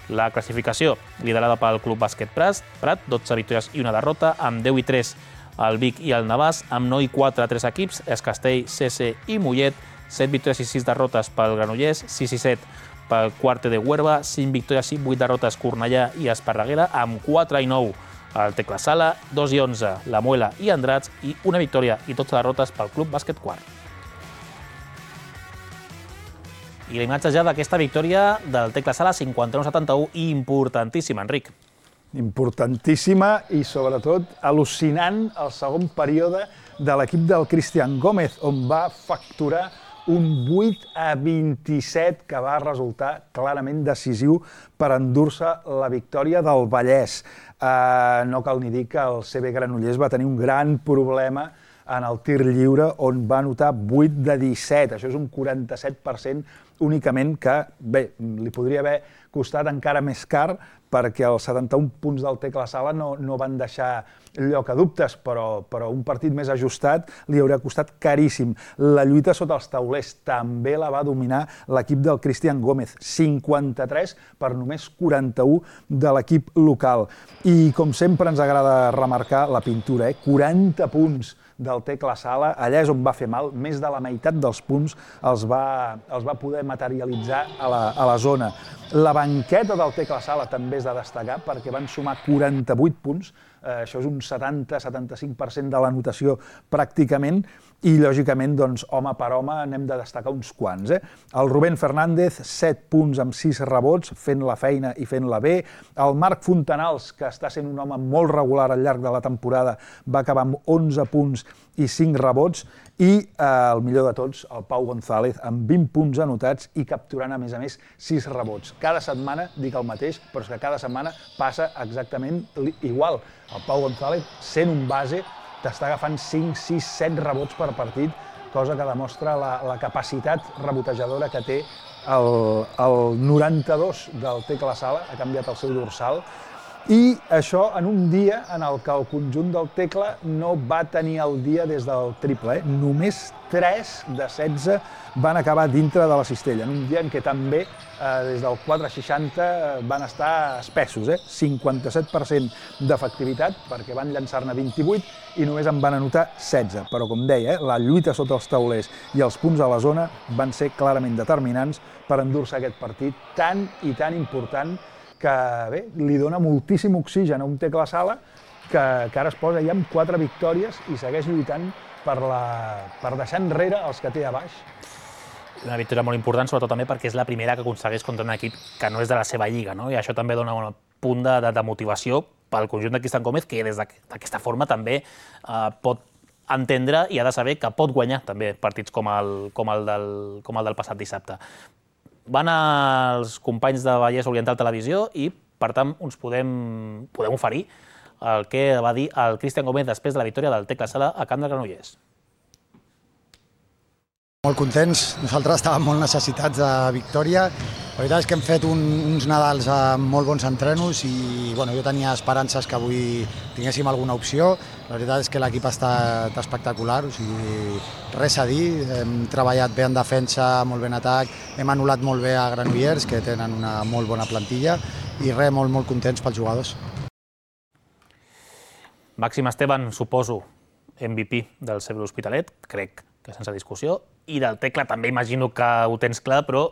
A: La classificació liderada pel Club Bàsquet Prat, dotze victòries i una derrota, amb deu i tres el Vic i el Navàs, amb nou i quatre tres equips, Es Castell, C S i Mollet, set victòries i sis derrotes pel Granollers, sis i set pel Quarte de Huerva, cinc victòries i vuit derrotes Cornellà i Esparreguera, amb quatre i nou el Tecla Sala, dos i onze la Muela i Andratx i una victòria i dotze derrotes pel Club Bàsquet Quart. I la imatge ja d'aquesta victòria del Tecla Sala cinquanta-nou setanta-u, importantíssima, Enric.
K: Importantíssima i, sobretot, al·lucinant el segon període de l'equip del Cristian Gómez, on va facturar un vuit a vint-i-set que va resultar clarament decisiu per endur-se la victòria del Vallès. Eh, no cal ni dir que el C B Granollers va tenir un gran problema en el tir lliure, on va anotar vuit de disset. Això és un quaranta-set per cent únicament que, bé, li podria haver costat encara més car perquè els setanta-un punts del Tecla Sala no, no van deixar lloc a dubtes, però, però un partit més ajustat li hauria costat caríssim. La lluita sota els taulers també la va dominar l'equip del Cristian Gómez, cinquanta-tres per només quaranta-u de l'equip local. I com sempre ens agrada remarcar la pintura, eh? quaranta punts del Tecla Sala, allà és on va fer mal, més de la meitat dels punts els va, els va poder materialitzar a la, a la zona. La banqueta del Tecla Sala també és de destacar perquè van sumar quaranta-vuit punts, eh, això és un setanta a setanta-cinc per cent de la notació pràcticament, i lògicament, doncs, home per home, n'hem de destacar uns quants. Eh? El Rubén Fernández, set punts amb sis rebots, fent la feina i fent-la bé. El Marc Fontanals, que està sent un home molt regular al llarg de la temporada, va acabar amb onze punts i cinc rebots, i eh, el millor de tots, el Pau González, amb vint punts anotats i capturant, a més a més, sis rebots. Cada setmana dic el mateix, però és que cada setmana passa exactament igual. El Pau González, sent un base, t'està agafant cinc, sis, set rebots per partit, cosa que demostra la, la capacitat rebotejadora que té el, el noranta-dos del Tecla Sala, ha canviat el seu dorsal, i això en un dia en el que el conjunt del Tecla no va tenir el dia des del triple. Eh? Només tres de setze van acabar dintre de la cistella, en un dia en què també eh, des del quatre seixanta van estar espessos, eh? cinquanta-set per cent d'efectivitat, perquè van llançar-ne vint-i-vuit i només en van anotar setze. Però, com deia, eh, la lluita sota els taulers i els punts a la zona van ser clarament determinants per endur-se aquest partit tan i tan important que bé, li dona moltíssim oxigen a un Tecla Sala que, que ara es posa ja amb quatre victòries i segueix lluitant per, la, per deixar enrere els que té a baix.
A: Una victòria molt important, sobretot també perquè és la primera que aconsegueix contra un equip que no és de la seva lliga, no? I això també dona un punt de, de, de motivació pel conjunt de Cristian Gómez, que des d'aquesta forma també eh, pot entendre i ha de saber que pot guanyar també partits com el, com el, del, com el del passat dissabte. Van als companys de Vallès Oriental Televisió i, per tant, uns podem, podem oferir el que va dir el Cristian Gómez després de la victòria del Tecla Sala a Camp de Granollers.
M: Molt contents, nosaltres estàvem molt necessitats de victòria. La veritat és que hem fet un, uns Nadals amb molt bons entrenos i bueno, jo tenia esperances que avui tinguéssim alguna opció. La veritat és que l'equip ha estat espectacular, o sigui, res a dir. Hem treballat bé en defensa, molt bé en atac, hem anul·lat molt bé a Granollers, que tenen una molt bona plantilla, i res, molt, molt contents pels jugadors.
A: Màxim Esteban, suposo, M V P del C B l'Hospitalet, crec que sense discussió, i del Tecla també imagino que ho tens clar, però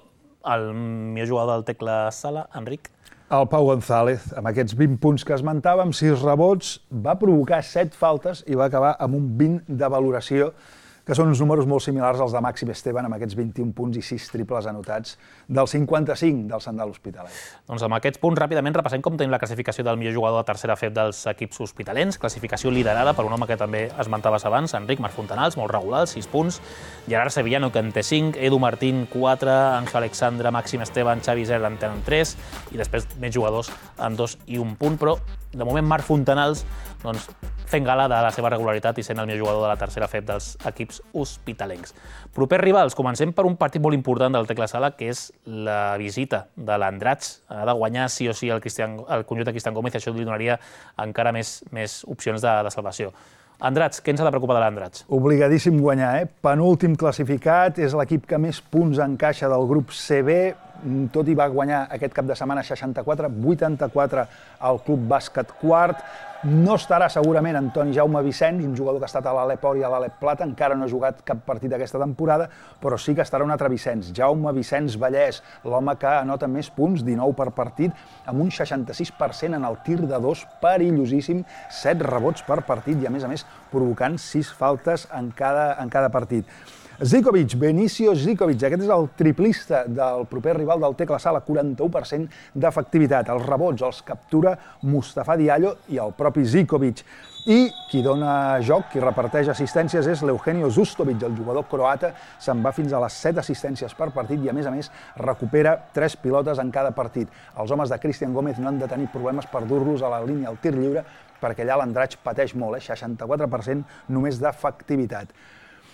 A: el millor jugador del Tecla Sala, Enric?
K: El Pau González, amb aquests vint punts que esmentàvem, sis rebots, va provocar set faltes i va acabar amb un vint de valoració, que són uns números molt similars als de Màxim Esteban, amb aquests vint-i-un punts i sis triples anotats del cinquanta-cinc del Sant de l'Hospitalet.
A: Doncs amb aquests punts, ràpidament, repassem com tenim la classificació del millor jugador de tercera F E B dels equips hospitalents, classificació liderada per un home que també esmentaves abans, Enric Marfontanals, molt regular, sis punts, Gerard Sevillano, que en té cinc, Edu Martín, quatre, Ángel Alexandre, Màxim Esteban, Xavi Zer en tenen tres, i després més jugadors amb dos i un punt, però de moment Marc Fontanals doncs, fent gala de la seva regularitat i sent el millor jugador de la tercera F E B dels equips hospitalencs. Propers rivals, comencem per un partit molt important del Tecla Sala, que és la visita de l'Andratx. Ha de guanyar sí o sí el, Cristian, el conjunt de Cristian Gómez i això li donaria encara més, més opcions de, de salvació. Andratx, què ens ha de preocupar de l'Andratx?
K: Obligadíssim guanyar, eh? Penúltim classificat, és l'equip que més punts encaixa del grup C B, tot i va guanyar aquest cap de setmana seixanta-quatre a vuitanta-quatre al Club Bàsquet Quart. No estarà segurament Antoni Jaume Vicens, un jugador que ha estat a l'Alep Or i a l'Alep Plata, encara no ha jugat cap partit aquesta temporada, però sí que estarà un altre Vicens, Jaume Vicens Vallès, l'home que anota més punts, dinou per partit, amb un seixanta-sis per cent en el tir de dos, perillosíssim, set rebots per partit i a més a més provocant sis faltes en cada, en cada partit. Zikovic, Benicio Zikovic, aquest és el triplista del proper rival del Tecla Sala, quaranta-u per cent d'efectivitat. Els rebots els captura Mustafa Diallo i el propi Zikovic. I qui dona joc, qui reparteix assistències és l'Eugenio Zustovic, el jugador croata, se'n va fins a les set assistències per partit i a més a més recupera tres pilotes en cada partit. Els homes de Cristian Gómez no han de tenir problemes per dur-los a la línia al tir lliure perquè allà l'Andratx pateix molt, eh? seixanta-quatre per cent només d'efectivitat.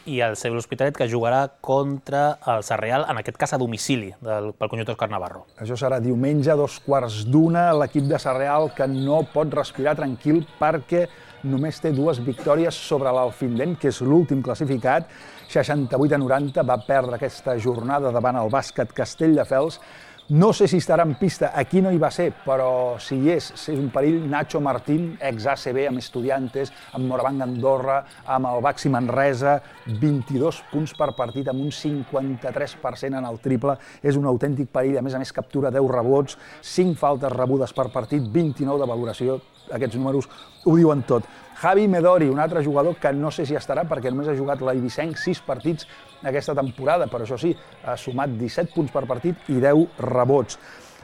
A: I el C B l'Hospitalet, que jugarà contra el Sarrià, en aquest cas a domicili, del, pel conjunt d'Òscar Navarro.
K: Això serà diumenge, dos quarts d'una, l'equip de Sarrià que no pot respirar tranquil perquè només té dues victòries sobre l'Alfindent, que és l'últim classificat, seixanta-vuit a noranta, va perdre aquesta jornada davant el Bàsquet Castelldefels. No sé si estarà en pista, aquí no hi va ser, però si hi és, és un perill. Nacho Martín, ex-A C B, amb Estudiantes, amb Moravang Andorra, amb el Baxi Manresa, vint-i-dos punts per partit, amb un cinquanta-tres per cent en el triple. És un autèntic perill, a més a més captura deu rebots, cinc faltes rebudes per partit, vint-i-nou de valoració. Aquests números ho diuen tot. Javi Medori, un altre jugador que no sé si estarà perquè només ha jugat l'Eivissenc sis partits aquesta temporada, però això sí, ha sumat disset punts per partit i deu rebots.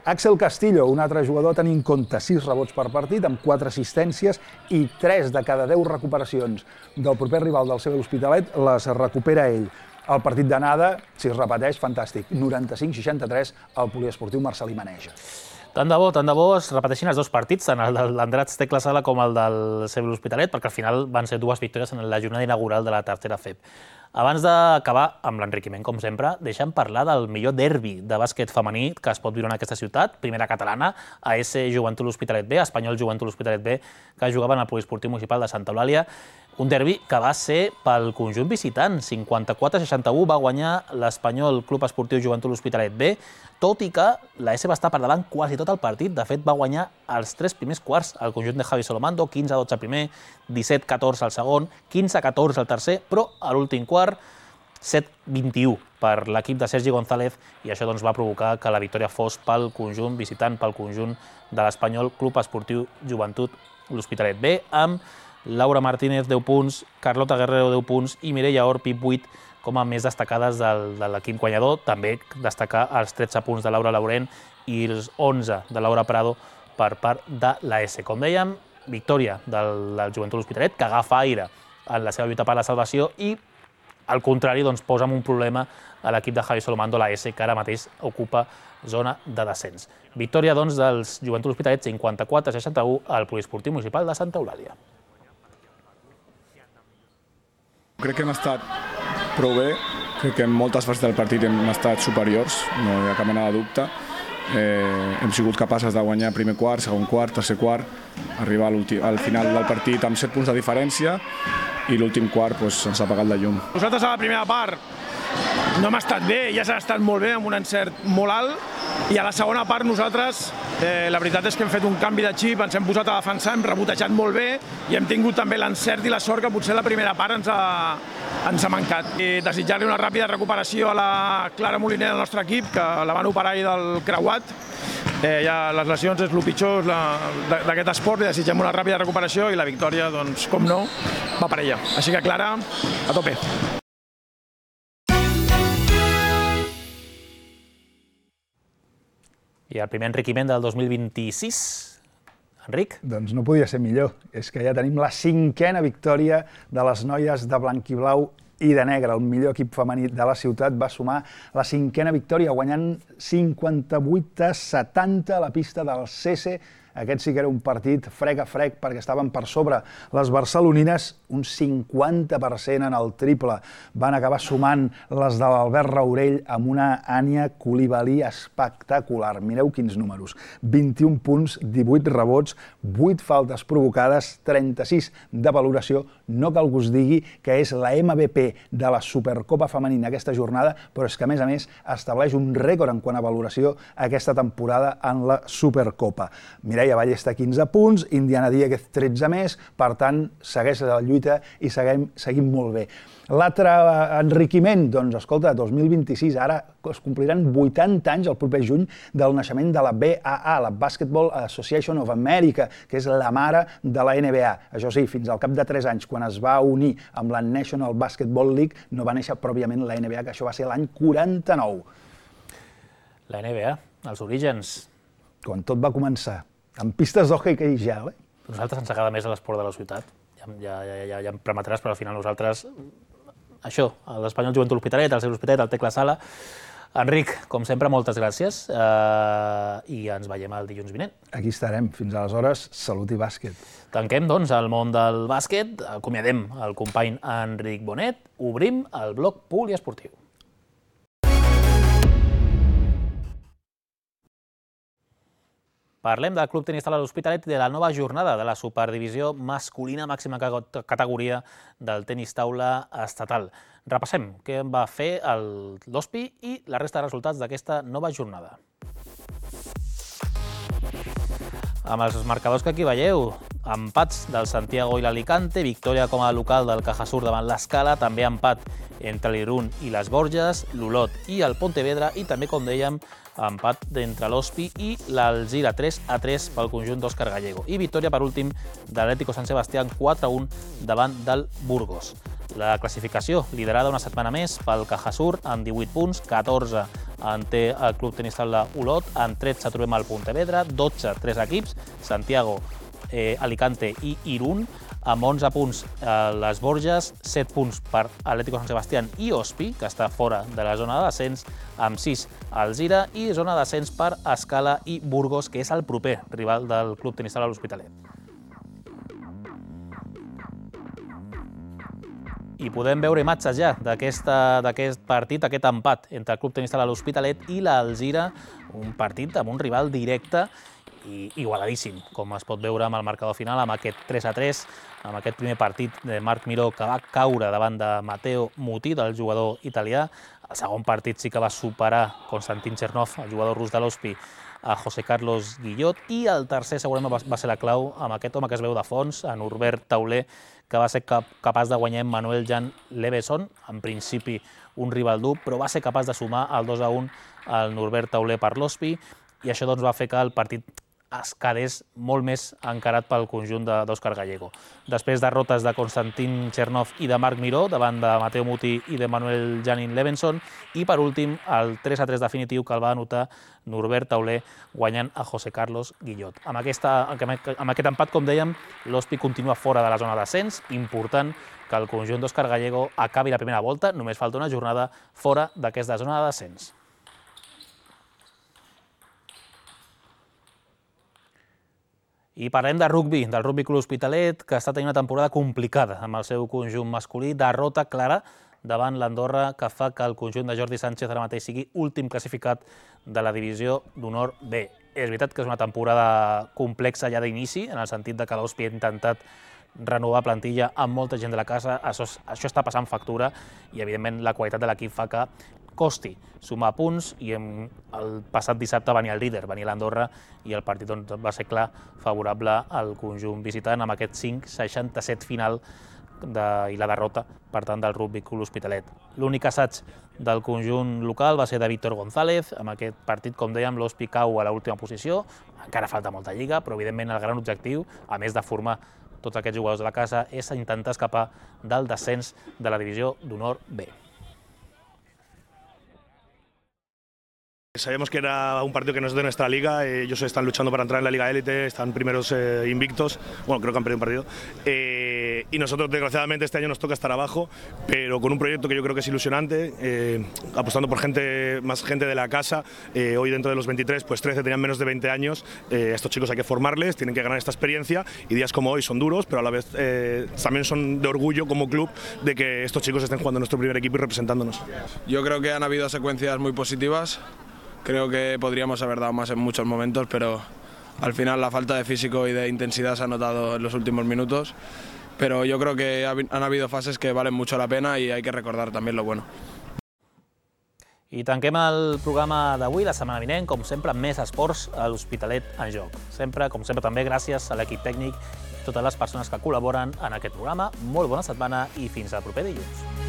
K: Axel Castillo, un altre jugador tenint en compte sis rebots per partit, amb quatre assistències i tres de cada deu recuperacions del proper rival del C B l'Hospitalet les recupera ell. El partit d'anada, si es repeteix, fantàstic, noranta-cinc seixanta-tres al poliesportiu Marcelí Maneja.
A: Tant de bo, tant de bo es repeteixin els dos partits, tant el de l'Andratx Tecla Sala com el del C B l'Hospitalet, perquè al final van ser dues victòries en la jornada inaugural de la tercera F E B. Abans d'acabar amb l'enriquiment, com sempre, deixem parlar del millor derbi de bàsquet femení que es pot viure en aquesta ciutat, primera catalana, A S Joventut l'Hospitalet B, Espanyol Joventut l'Hospitalet B, que jugaven al Poliesportiu Municipal de Santa Eulàlia. Un derbi que va ser pel conjunt visitant, cinquanta-quatre a seixanta-u va guanyar l'Espanyol Club Esportiu Joventut l'Hospitalet B, tot i que la S va estar per davant quasi tot el partit. De fet, va guanyar els tres primers quarts el conjunt de Javi Solomando, quinze a dotze el primer, disset a catorze el segon, quinze a catorze el tercer, però a l'últim quart, set a vint-i-u per l'equip de Sergi González, i això doncs, va provocar que la victòria fos pel conjunt visitant, pel conjunt de l'Espanyol Club Esportiu Joventut l'Hospitalet B, amb Laura Martínez, deu punts, Carlota Guerrero, deu punts, i Mireia Or, Pip, vuit, com a més destacades del, de l'equip guanyador. També destacar els tretze punts de Laura Laurent i els onze de Laura Prado per part de la S. Com dèiem, victòria del, del Joventut l'Hospitalet, que agafa aire en la seva lluita per la salvació i, al contrari, doncs, posa un problema a l'equip de Javi Solomando, la S, que ara mateix ocupa zona de descens. Victòria, doncs, dels Joventut l'Hospitalet, cinquanta-quatre a seixanta-u al Poliesportiu Municipal de Santa Eulàlia.
N: Crec que hem estat prou bé, crec que en moltes fases del partit hem estat superiors, no hi ha cap mena de dubte. Eh, hem sigut capaces de guanyar primer quart, segon quart, tercer quart, arribar al final del partit amb set punts de diferència i l'últim quart pues, ens ha apagat la llum.
O: Nosaltres a la primera part no hem estat bé, ja s'ha estat molt bé, amb un encert molt alt, i a la segona part nosaltres, eh, la veritat és que hem fet un canvi de xip, ens hem posat a defensar, hem rebotejat molt bé i hem tingut també l'encert i la sort que potser la primera part ens ha, ens ha mancat. I desitjar-li una ràpida recuperació a la Clara Moliner del nostre equip, que la van operar ahir del creuat. Eh, ja les lesions és el pitjor d'aquest esport, li desitgem una ràpida recuperació i la victòria, doncs, com no, va per ella. Així que, Clara, a tope.
A: I el primer enriquiment del dos mil vint-i-sis, Enric?
K: Doncs no podia ser millor. És que ja tenim la cinquena victòria de les noies de blanc i blau i de negre. El millor equip femení de la ciutat va sumar la cinquena victòria, guanyant cinquanta-vuit a setanta a la pista del C S. Aquest sí que era un partit frec a frec perquè estaven per sobre les barcelonines, un cinquanta per cent en el triple. Van acabar sumant les de l'Albert Raurell amb una Ània Coulibaly espectacular. Mireu quins números. vint-i-un punts, divuit rebots, vuit faltes provocades, trenta-sis de valoració. No cal que us digui que és la M V P de la Supercopa femenina aquesta jornada, però és que a més a més estableix un rècord en quant a valoració aquesta temporada en la Supercopa. Mireu, Mireia Ballesta quinze punts, Indiana Dieguez tretze més, per tant, segueix la lluita i seguim, seguim molt bé. L'altre enriquiment, doncs, escolta, dos mil vint-i-sis, ara es compliran vuitanta anys el proper juny del naixement de la B A A, la Basketball Association of America, que és la mare de la N B A. Això sí, fins al cap de tres anys, quan es va unir amb la National Basketball League, no va néixer pròpiament la N B A, que això va ser l'any quaranta-nou.
A: La N B A, els orígens.
K: Quan tot va començar, amb pistes d'hoquei gel, eh?
A: A nosaltres ens agrada més l'esport de la ciutat. Ja, ja, ja, ja, ja em permetràs, però al final nosaltres... Això, l'Espanyol Joventut L'Hospitalet, el seu Hospitalet, el Tecla Sala. Enric, com sempre, moltes gràcies eh, i ens veiem el dilluns vinent.
K: Aquí estarem. Fins aleshores, salut i bàsquet.
A: Tanquem, doncs, el món del bàsquet. Acomiadem el company Enric Bonet. Obrim el bloc poliesportiu. Parlem del Club Tenis Taula L'Hospitalet i de la nova jornada de la Superdivisió masculina màxima categoria del tenis taula estatal. Repassem què va fer l'O S P I i la resta de resultats d'aquesta nova jornada. Amb els marcadors que aquí veieu, empats del Santiago i l'Alicante, victòria com a local del Cajasur davant l'Escala, també empat entre l'Irún i les Borges, l'Olot i el Pontevedra i també, com dèiem, empat entre l'O S P I i l'Alzira, tres a tres pel conjunt d'Òscar Gallego. I victòria, per últim, de l'Atlético Sant Sebastián, quatre a un davant del Burgos. La classificació liderada una setmana més pel Cajasur amb divuit punts, catorze en té el Club Tenis Taula Olot, en tretze trobem el Pontevedra, dotze, tres equips, Santiago, eh, Alicante i Irún, amb onze punts eh, les Borges, set punts per Atlético Sant Sebastián i O S P I, que està fora de la zona de descens, amb sis Alzira i zona de descens per Escala i Burgos, que és el proper rival del Club Tenis Taula L'Hospitalet. I podem veure imatges ja d'aquest partit, aquest empat entre el Club Tenis Taula L'Hospitalet i l'Alzira, un partit amb un rival directe i igualadíssim, com es pot veure amb el marcador final, amb aquest tres a tres, amb aquest primer partit de Marc Miró que va caure davant de Matteo Muti, del jugador italià. El segon partit sí que va superar Konstantin Chernov, el jugador rus de l'O S P I, a José Carlos Guillot, i el tercer segurament va ser la clau amb aquest home que es veu de fons, a Norbert Tauler, que va ser capaç de guanyar Manuel Jan Leveson, en principi un rival dur, però va ser capaç de sumar el dos a un al Norbert Tauler per l'O S P I, i això doncs va fer que el partit es quedés molt més encarat pel conjunt d'Òscar Gallego. Després derrotes de Konstantin Chernov i de Marc Miró davant de Matteo Muti i de Manuel Janin Levenson, i per últim el tres a tres definitiu que el va anotar Norbert Tauler guanyant a José Carlos Guillot. Amb, aquesta, amb aquest empat, com dèiem, l'O S P I continua fora de la zona d'ascens, important que el conjunt d'Òscar Gallego acabi la primera volta, només falta una jornada fora d'aquesta zona de descens. I parlem de rugbi, del Rugby Club Hospitalet, que està tenint una temporada complicada amb el seu conjunt masculí, derrota clara davant l'Andorra, que fa que el conjunt de Jordi Sánchez ara mateix sigui últim classificat de la divisió d'honor B. És veritat que és una temporada complexa ja d'inici, en el sentit que l'O S P I ha intentat renovar plantilla amb molta gent de la casa, això, això està passant factura i, evidentment, la qualitat de l'equip fa que costi sumar punts, i el passat dissabte venia el líder, venia l'Andorra, i el partit va ser clar favorable al conjunt visitant amb aquest cinc seixanta-set final i la derrota, per tant, del Rugby Club L'Hospitalet. L'únic assaig del conjunt local va ser de Víctor González. Amb aquest partit, com dèiem, l'Hospi cau a l'última posició. Encara falta molta lliga, però evidentment el gran objectiu, a més de formar tots aquests jugadors de la casa, és intentar escapar del descens de la divisió d'honor B.
P: Sabíamos que era un partido que no es de nuestra liga, ellos están luchando para entrar en la Liga Élite, están primeros eh, invictos, bueno, creo que han perdido un partido, eh, y nosotros desgraciadamente este año nos toca estar abajo, pero con un proyecto que yo creo que es ilusionante, eh, apostando por gente, más gente de la casa. Eh, hoy dentro de los veintitrés, pues trece tenían menos de veinte años, eh, estos chicos hay que formarles, tienen que ganar esta experiencia, y días como hoy son duros, pero a la vez eh, también son de orgullo como club de que estos chicos estén jugando en nuestro primer equipo y representándonos.
N: Yo creo que han habido secuencias muy positivas. Creo que podríamos haber dado más en muchos momentos, pero al final la falta de físico y de intensidad se ha notado en los últimos minutos. Pero yo creo que han habido fases que valen mucho la pena y hay que recordar también lo bueno.
A: I tanquem el programa d'avui, la setmana vinent, com sempre, amb més esports a l'Hospitalet en joc. Sempre, com sempre, també gràcies a l'equip tècnic i totes les persones que col·laboren en aquest programa. Molt bona setmana i fins al proper dilluns.